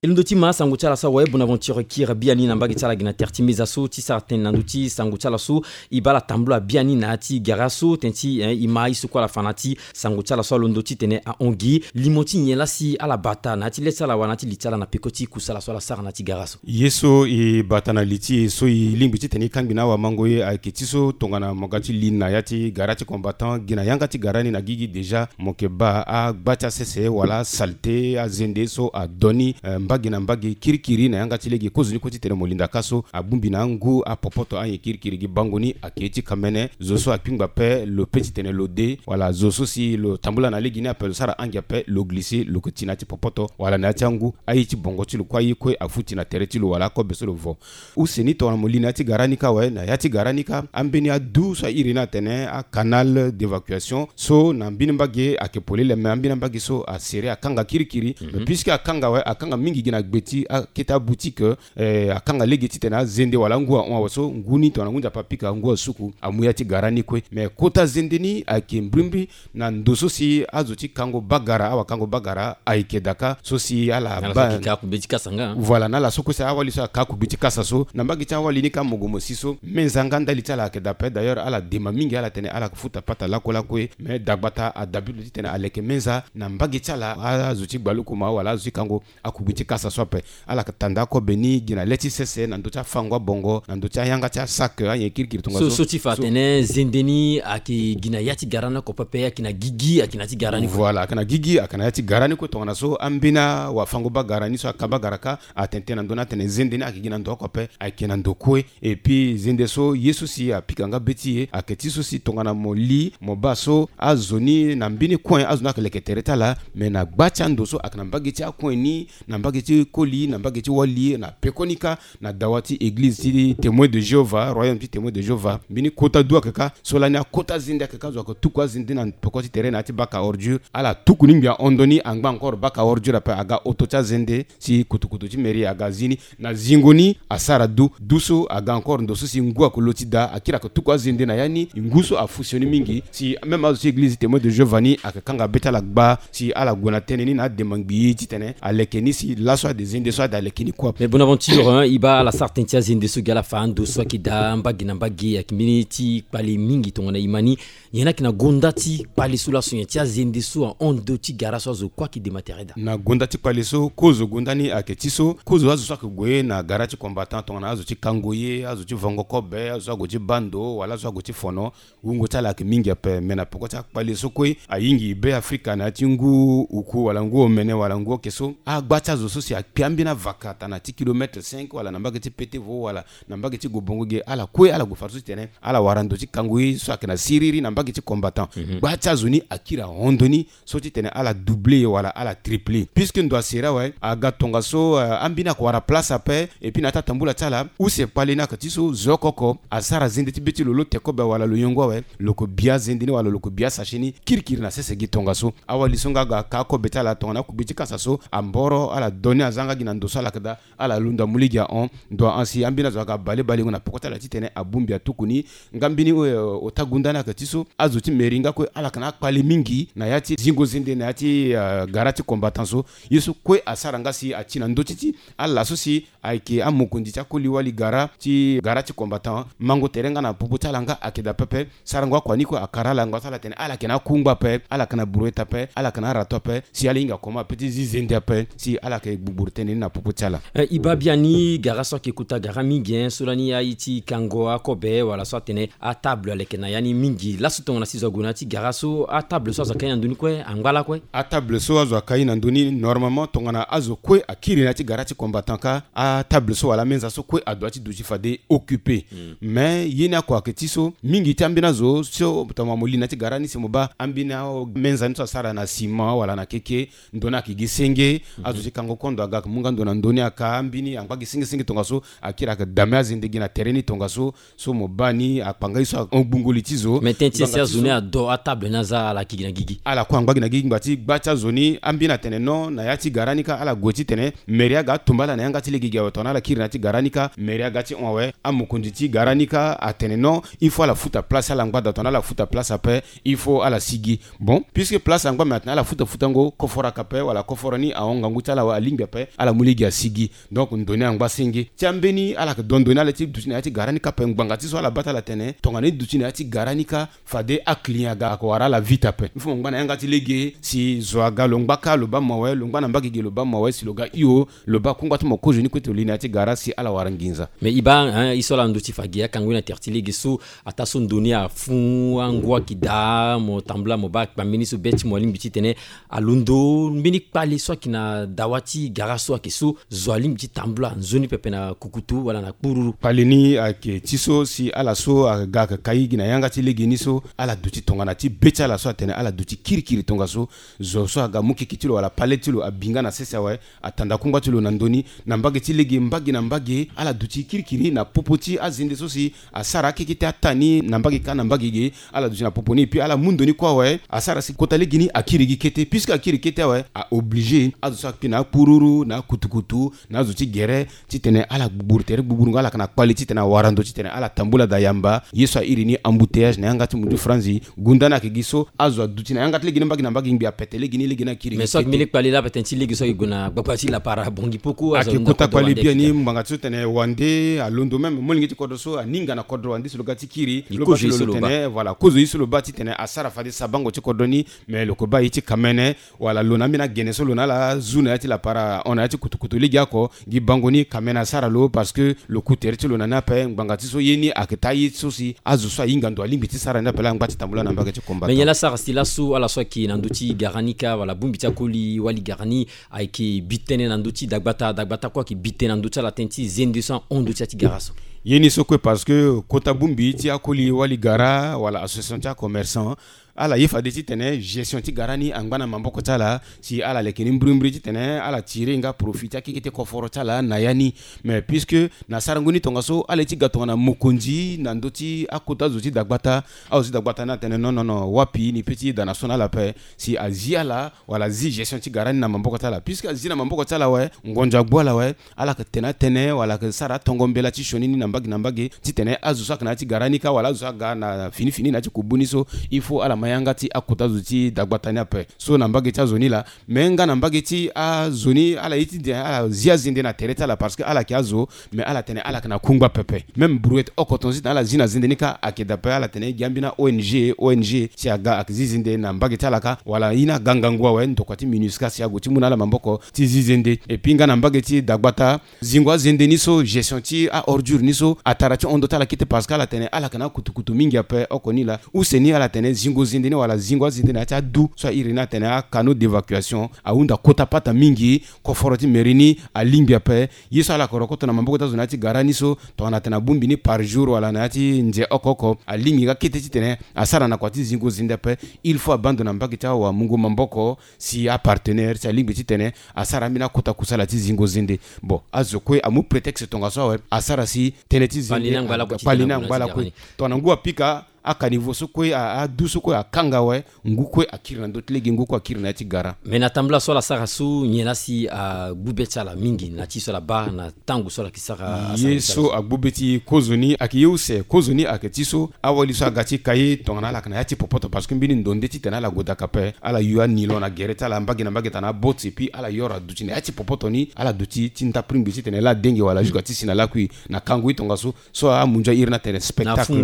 E londo ti ma sango ti ala so awe Bonaventure Kir biani na mbage ti ala gi na tere ti meza so ti sara tënë na ndö ti sango ti ala so. E baa ala tambula biani na ya ti gara so tënë ti, eh, e ma ye so kue ala fa na ya ti sango ti ala so alondo titene ahon gi limo ti nyen laa si ala bata na ya ti le ti ala wala na ya ti li ti ala na peko ti kusala so ala sara na ya ti gara so. Ye so e bata na li ti e so e lingbi titene e kangbi na awamango ye ayeke ti so tongana mo ga ti li na ya ti gara ti combattant gi na yanga ti gara ni na gigi déjà mo yeke baa agba ti asese wala asalte azende so adoni, eh, mbage gi na mbage kirikiri na yanga ti lege. Kozo ni kue titene mo linda ka so abongbi na angu apopoto anyen kirikiri gi bango ni ake ye ti kamene. Zo so akpingba pe lo pe titene lo de, wala zo so si lo tambula na lege ni ape lo sara angi ape, lo glise, lo ke ti na ya ti popoto wala na ya ti angu. Aye ti bongo ti lo kue, aye kue afuti na tere ti lo wala akobe so lo vo. Use ni tongana mo li na ya ti gara ni ka awe, na ya ti gara ni ka, ambeni adu so a iri ni atene acanal d'évacuation so na mbeni mbage ake polele, me ambeni mbage so asere akanga kirikiri. Mais puisque akanga awe, akanga mingi gi na gbe ti akete aboutique, eh, akanga lege titene azende wala angu ahon awe so ngu ni tongana ngu nzapa apika angu asuku amu ya ti gara ni kue. Mais kota zende ni ayeke mbrimbri na ndo so si azo ti kango bagara, awakango bagara ayeke daa ka so si ala ba kika akube ti kasa nga. Voilà, na ala so kue si awali so aka akube ti kasa so na mbage ti awali ni ka mogo mo si so menza nga ndali ti ala ayeke daa pe. D'ailleurs ala dema mingi, ala tene ala futa pata lakue lakue. Mais dagbata adabi lo titene aleke menza na mbage ti ala, azo ti gbalukuma wala azo ti kango akube ti kasa so ape. Ala yeke tanda akobe ni gi na le ti sese na ndö ti afango abongo, na ndö ti ayanga ti asac, anyen kirikiri tongaso. So ti fa atene zende ni ayeke gi na ya ti gara ni oko pepe, ayeke na gigi, ayeke na ya ti gara ni kue. Voilà, ayeke na gigi, ayeke na ya ti gara ni kue. Tongana so ambeni awafango bagara ni so aka bagara ka atene tënë na ndö ni atene zende ni ayeke gi na ndo oko ape, ayeke na ndo kue. Et puis zende so ye so si apika nga be ti e ayeke ti so si tongana mo li mo baa so azo ni na mbeni coin azo ni ayeke leke tere ti ala. Mais na gba ti ando so ayeke na mbage ti acoin ni, na mbage ti koli, na mbage ti wali, na pekoni ka, na dawa ti église ti Témoin de Jéhovah, royaume ti Témoin de Jéhovah, mbeni kota du ayeke ka. So lani akota zende ayeke ka, zo ayeke tuku azende na peko ti tere na ya ti bac à ordures. Ala tuku ni ngbia hon ndo ni, angba encore bac à ordures ape, aga oto ti azende si kutukutu ti mairie aga zi ni. Na zingo ni asara du, du so aga encore ndo so si ngu ayeke lo ti daa, akiri ayeke tuku azende na ya ni. Ngu so afu sioni mingi si même azo ti église Témoin de Jéhovah ni ayeke kanga be ti ala gba si ala gue na tënë ni na adema ngbii titene aleke ni si laso ade zende so ade aleke ni kue. Mais Bonaventure, hein, e baa ala sara tënë ti azende so gi ala fa ando so ayeke daa mbage na mbage, ayeke mbeni ti kpale mingi tongana e ma ni. Nyen ayeke na gonda ti kpale so laso, nyen ti azende so ahon ndo ti gara so azo kue ayeke dema tere daa? Na gonda ti kpale so kozo gonda ni ayeke ti so kozo azo so ayeke gue na gara ti combattant tongana azo ti kango ye, azo ti vango kobe, azo so ague ti baa ndo wala azo so ague ti fono, wungo ti ala ayeke mingi ape. Me na peko ti akpale so kue ayingi Be Afrika na ya ti ngu uku wala ngu omene wala ngu oke so, agba ti azo so si akpe ambeni avaka tana ti kilomètre cinq wala na mbage ti Petevo wala na mbage ti Gobongo ge, ala kue ala gue fade so titene ala wara ndo ti kango ye so ayeke na siriri na mbage ti combattant. Gba ti azo ni akiri ahon ndo ni so titene ala doubler wala ala tripler. Puisque ndo asere awe, aga tongaso, eh, ambeni ayeke wara place ape. Et puis na ya ti atambula ti ala, use kpale ni ayeke ti so zo oko oko asara zende ti be ti lo, lo te kobe wala lo yongo awe, lo yeke bi azende ni wala lo yeke bi asachet ni kirikiri na sese gi tongaso. Awali so nga aga ka akobe ti ala tongana akugbe ti kasa so, amboro ala do ni aza nga gi na ndo so ala yeke daa. Ala londo amu lege ahon, ndo ahon si ambeni azo aga bale balengo na peko ti ala titene abongbi atuku ni. Nga mbeni, eh, ota gonda ni ayeke ti so, azo ti mairie nga kue ala yeke na akpale mingi na ya ti zingo zende na ya ti, eh, gara ti combattant so. Ye so kue asara nga si ati na ndö ti ti ala so si ayeke amokonzi ti akoli wali gara ti, gara ti combattant, mango tere nga na popo ti ala nga ayeke daa pepe. Sarango akua ni kue akara ala ngba so ala tene ala yeke na akungba ape, ala yeke na brouette ape, ala yeke na arato ape, si ala hinga comment ape ti zi zende ape, si ala yeke gbugburu tënë ni na popo ti ala. Eh, e baa biani gara so ayeke kota gara mingi, hein, so lani aye ti kango akobe wala so atene atable aleke na ya ni mingi. Laso tongana si zo ague na ya ti gara so, atable so azo aka ye na ndö ni kue angba lakue? Atable so azo aka ye na ndö ni, normalement tongana azo kue akiri na ya ti gara ti combattant ka, atable so wala amenza so kue adoit ti duti fade occupé. Mais ye ni oko ayeke ti so, mingi ti ambeni azo so tongana mo li na ya ti gara ni si mo baa ambeni amenza ni so asara na ciment wala na keke, ndo ni ayeke gi senge. Azo ti kango kondo aga mu nga ndo na ndo ni aka, ambeni angba gi senge senge tongaso, akiri ayeke dame azende gi na tere ni tongaso. So mo baa ni akpanga ye so ahon gbungo li ti zo. Mais tënë ti e si azo ni ado atable ni aza ala yeke gi na gigi? Ala kue angba gi na gigi ngba ti gba ti azo ni. Ambeni atene non, na ya ti gara ni ka ala gue titene mairie aga atomba ala na yanga ti lege gi awe tongana ala kiri na ya ti gara ni ka, mairie aga ti hon awe. Amokonzi ti gara ni ka atene non, il faut ala futa place ti ala ngbada, tongana ala futa place ape, il faut ala sigi. Bon, puisque place angba, mais atene ala futa futango koforo aka ape wala koforo ni ahon ngangu ti ala awe, alingbi ape, ala mu lege asigi. Donc ndo ni angba senge. Ti ambeni ala yeke do ndo ni ala ti duti na ya ti gara ni ka ape, ngbanga ti so ala baa ti ala tene tongana e duti na ya ti gara ni ka, fade aclient aga, ayeke wara ala vite ape. Il faut mo ngba na yanga ti lege si zo aga lo ngba ka lo baa mo awe, lo ngba na mbage ge lo baa mo awe, si lo ga hio lo baa kungba ti mo kozo ni kue ti lo li na ya ti gara si ala wara nginza. Mais e baa, hein, e so ala ndö ti fa gi akango ye na tere ti lege so, ataa so ndo ni afu, angu ayeke daa, mo tambula mo baa kpambeni so be ti mo alingbi titene alondo mbeni kpale so ayeke na dawa ti gara so ayeke so zo alingbi ti tambula nzoni pepe na kukutu wala na kpururu. Kpale ni ayeke ti so si ala so aga ayeke kai gi na yanga ti lege ni so ala duti tongana ti be ti ala so atene ala duti kirikiri tongaso zo so aga mu keke ti lo wala pale ti lo abi nga na sese awe, atanda kungba ti lo na ndö ni. Na mbage ti lege mbage na mbage ala duti kirikiri na popo ti azende so si asara akeke ti ata ni na mbage kâ na mbage ge. Ala duti na popo ni epui ala mu ndo ni kue awe. Asara si kota lege ni akiri gi kete puisque akiri kete awe a oblige azo so akpe na akpururu na akutukutu na azo ti gere titene ala gbugburu tere gbugburu nga ala yeke na kpale titene awara ndo titene ala tambula daa yamba ye so airi ni embouteillage na yanga ti mundu franzi. Gunda ni ayeke gi so azo aduti na yanga ti lege ni mbage na mbage ngbi apete lege ni lege ni akiri mais so ayeke mbeni kpale laa pete ti lege so ayeke gue na gbagba ti lapara bongi poko azo ayeke kota kpale bien ni ngbanga ti so tene wande alondo même molenge ti kodro so aninga na kodro wande si lo ga ti kiri lo ba ti lo tene voilà kozo ye so lo ba titene asara fade sabango ti kodro ni. Mais lo ko ba ye ti kamene wala lo na ambeni agene so lo na ala zu na ya ti lapara ahon na ya ti kutukutu lege oko gi bango ni kamene asara lo parce que lo ku tere ti lo na ni ape ngbanga ti so ye ni ayeke taa ye so si azo so ahinga ndo alingbi ti sara ni ape laa angba ti tambula na mbage ti combattant. Mais nyen laa sara si laso ala so ayeke na ndö ti gara ni kâ wala bongbi ti akoli wali gara ni ayeke bi tënë na ndö ti dagbata dagbata kue ayeke bi tënë na ndö ti ala tënë ti zende so ahon ndö ti ya ti gara so. Ye ni so kue parce que kota bongbi ti akoli wali gara wala association ti acommerçant ala ye fade titene gestion ti gara ni angba na maboko ti ala si ala leke ni mbrimbri titene ala tire nga profit ti akeke ti koforo ti ala na ya ni. Mais puisque na sarango ni tongaso ala ye ti ga tongana mokonzi na ndö ti akota zo ti dagbata azo ti dagbata ni atene non non non wapi ni pe ti da na so na ala ape si azi ala wala azi gestion ti gara ni na maboko ti ala puisque azi na maboko ti ala awe ngonzo agbu ala awe. Ala yeke tene atënë wala ayeke sara atongo mbela ti sioni ni na mbage na mbage titene azo so ayeke na ya ti gara ni kâ wala azo so aga na fini fini na ya ti kubu ni so il faut ala ma yanga ti akota zo ti dagbata ni ape. So na mbage ti azo ni laa me nga na mbage ti azo ni ala ye ti de ala zi azende na tere ti ala parce que ala yeke azo. Me ala tene ala yeke na kungba pepe même brouette oko tongaso titene ala zi na zende ni kâ ayeke dape ala tene gi ambeni a-ong ong si aga ayeke zi zende na mbage ti ala kâ wala ye ni aga ngangu awe ndokua ti minusca si ague ti mu na ala maboko ti zi zende. Epui nga na mbage ti dagbata zingo azende ni so gestion ti a-ordure ni so atara ti hon ndo ti ala kete parce que ala tene ala yeke na akutukutu mingi ape oko ni laa. Use ni ala tene zingo zende ni wala zingo azende na ya ti adu so airi ni atene acanaux d'évacuation ahunda kota pata mingi. Koforo ti mairie ni alingbi ape ye so ala yeke rokoto na maboko ti azo na ya ti gara ni so tongana atene abongbi ni par jour wala na ya ti nze oko oko alingbi nga kete titene asara na kua ti zingo zende ape. Il faut abaa ndo na mbage ti awamungo maboko si apartenaire si alingbi titene asara ambeni akota kusala ti zingo zende. Bon azo kue amu prétexte tongaso awe asara si tënë ti zende kpale ni angba lakue. Tongana ngu apika akanivo so kue adu so kue akanga awe ngu kue akiri na ndö ti lege ngu kue akiri na ya ti gara. Me na tambula so ala sara so nyen laa si agbu be ti ala mingi na ti so ala baa na tango so ala yeke sara ye so agbu be ti kozo ni ayeke ye use kozo ni ayeke ti so awali so aga ti ka ye tongana ala yeke na ya ti popoto parce que mbeni ndo nde titene ala gue daka ape ala yu anilon na gere ti ala mbage na mbage tana aboti epui ala yoro aduti na ya ti popoto ni ala duti ti ndapringbi titene laa adenge wala jusque ti si na lakui na kango ye tongaso. So amunzu airi ni atene spectacle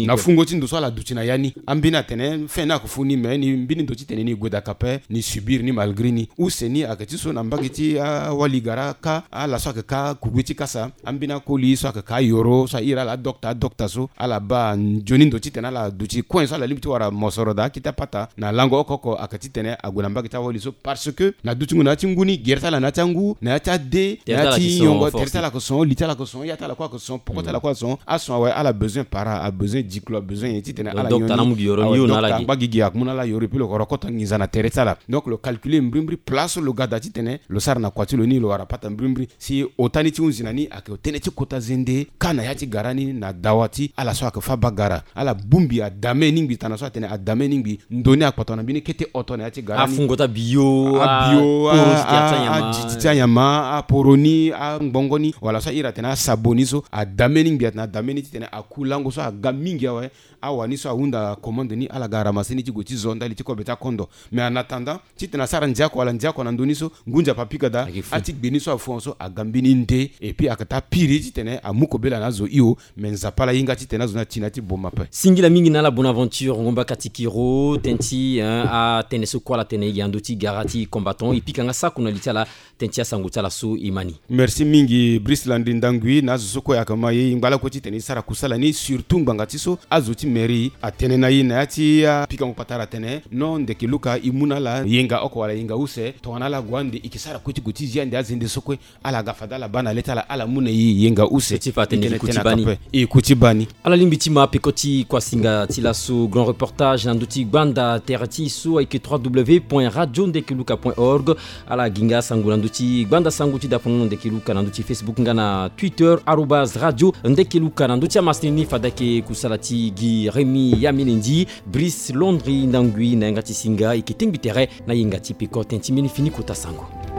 na fungo ti ndo so ala duti na ya ni ambeni atene fin ni ayeke fu ni me ni mbeni ndo titene ni gue daka ape ni subir ni malgré ni use ni ayeke ti so na mbage ti awali gara kâ ala so ayeke kâ kugbe ti kasa ambeni akoli so ayeke kâ ayoro so airi ala adokta adokta so ala baa nzoni ndo titene ala duti kue so ala lingbi ti wara mosoro daa akete apata na lango oko oko ayeke titene ague na mbage ti awali so parce que na dutingo na ya ti ngu ni gere ti ala na ya ti angu na ya ti ade na ya ti nyongo tere ti ala ayeke son li ti ala ayeke son ya ti ala kue ayeke son poko ti ala kue ayeke son ason awe ala besoin para abesoin diklo abesoin nyen titene ala nyoni awe dokta angba gigi ayeke mu na ala yoro epui lo yeke rokoto nginza na tere ti ala. Donc lo calculer mbrimbri place so lo ga daa titene lo sara na kua ti lo ni lo wara pata mbrimbri si ota ni ti hunzi na ni ayeke tënë ti kota zende kâ na ya ti gara ni na dawa ti ala so ayeke fâ baa gara. Ala bongbi adame ni ngbi tana so atene adame ni ngbi ndo ni akpata na mbeni kete oto na ya ti gara ni afungo ti abio abio adi ti anyama aporo ni angbongo ni wala so airi atene asabo ni so adame ni ngbi atene adame ni titene aku lango so aga mingi awe. Awani so ahunda commande ni ala ga ramasse ni ti gue ti zo ndali ti kobe ti akondo. Mais en attendant titene asara ndia oko wala ndia oko na ndö ni so ngu nzapa apika daa ati gbe ni so afu hon so aga mbeni nde epui ayeke taa piri titene amu kobela na azo hio. Me nzapa ala hinga titene azo ni ati na ya ti boma ape. Singila mingi na ala Bonaventure Ngomba Katikiro tënë ti atënë so kue ala tene gi na ndö ti gara ti combattant e pika nga sako na li ti ala. Tënë ti asango ti ala so e ma ni. Merci mingi Brice Landry Ndangui na azo so kue ayeke ma ye e ngba lakue titene e sara kusala ni surtout ngbanga ti so azo ti Mairie atene na e na ya ti apikango patara atene non, ndeke Luka e mu na ala yenga oko wala yenga use tongana ala gue ande e ke sara kue ti gue ti zi ande azende so kue. Ala ga fade ala baa na le ti ala, ala mu na e yenga use. Ti fa atene e kuti bani. E kuti bani. Ala lingbi ti ma peko ti kuasinga ti laso grand reportage na ndö ti gbanda tere ti e so ayeke trois w point radio ndeke luka point org. Ala gi nga sango na ndö ti gbanda sango ti dapono ndeke luka na ndö ti Facebook nga na Twitter arobase radio ndeke luka. Na ndö ti amasini ni fade ayeke kusala ti gi Rémi Yaminendi, Brice Londri Ndangui na yanga ti singa e yeke tengbi tere na yenga ti peko ten ti mbeni fini kota sango.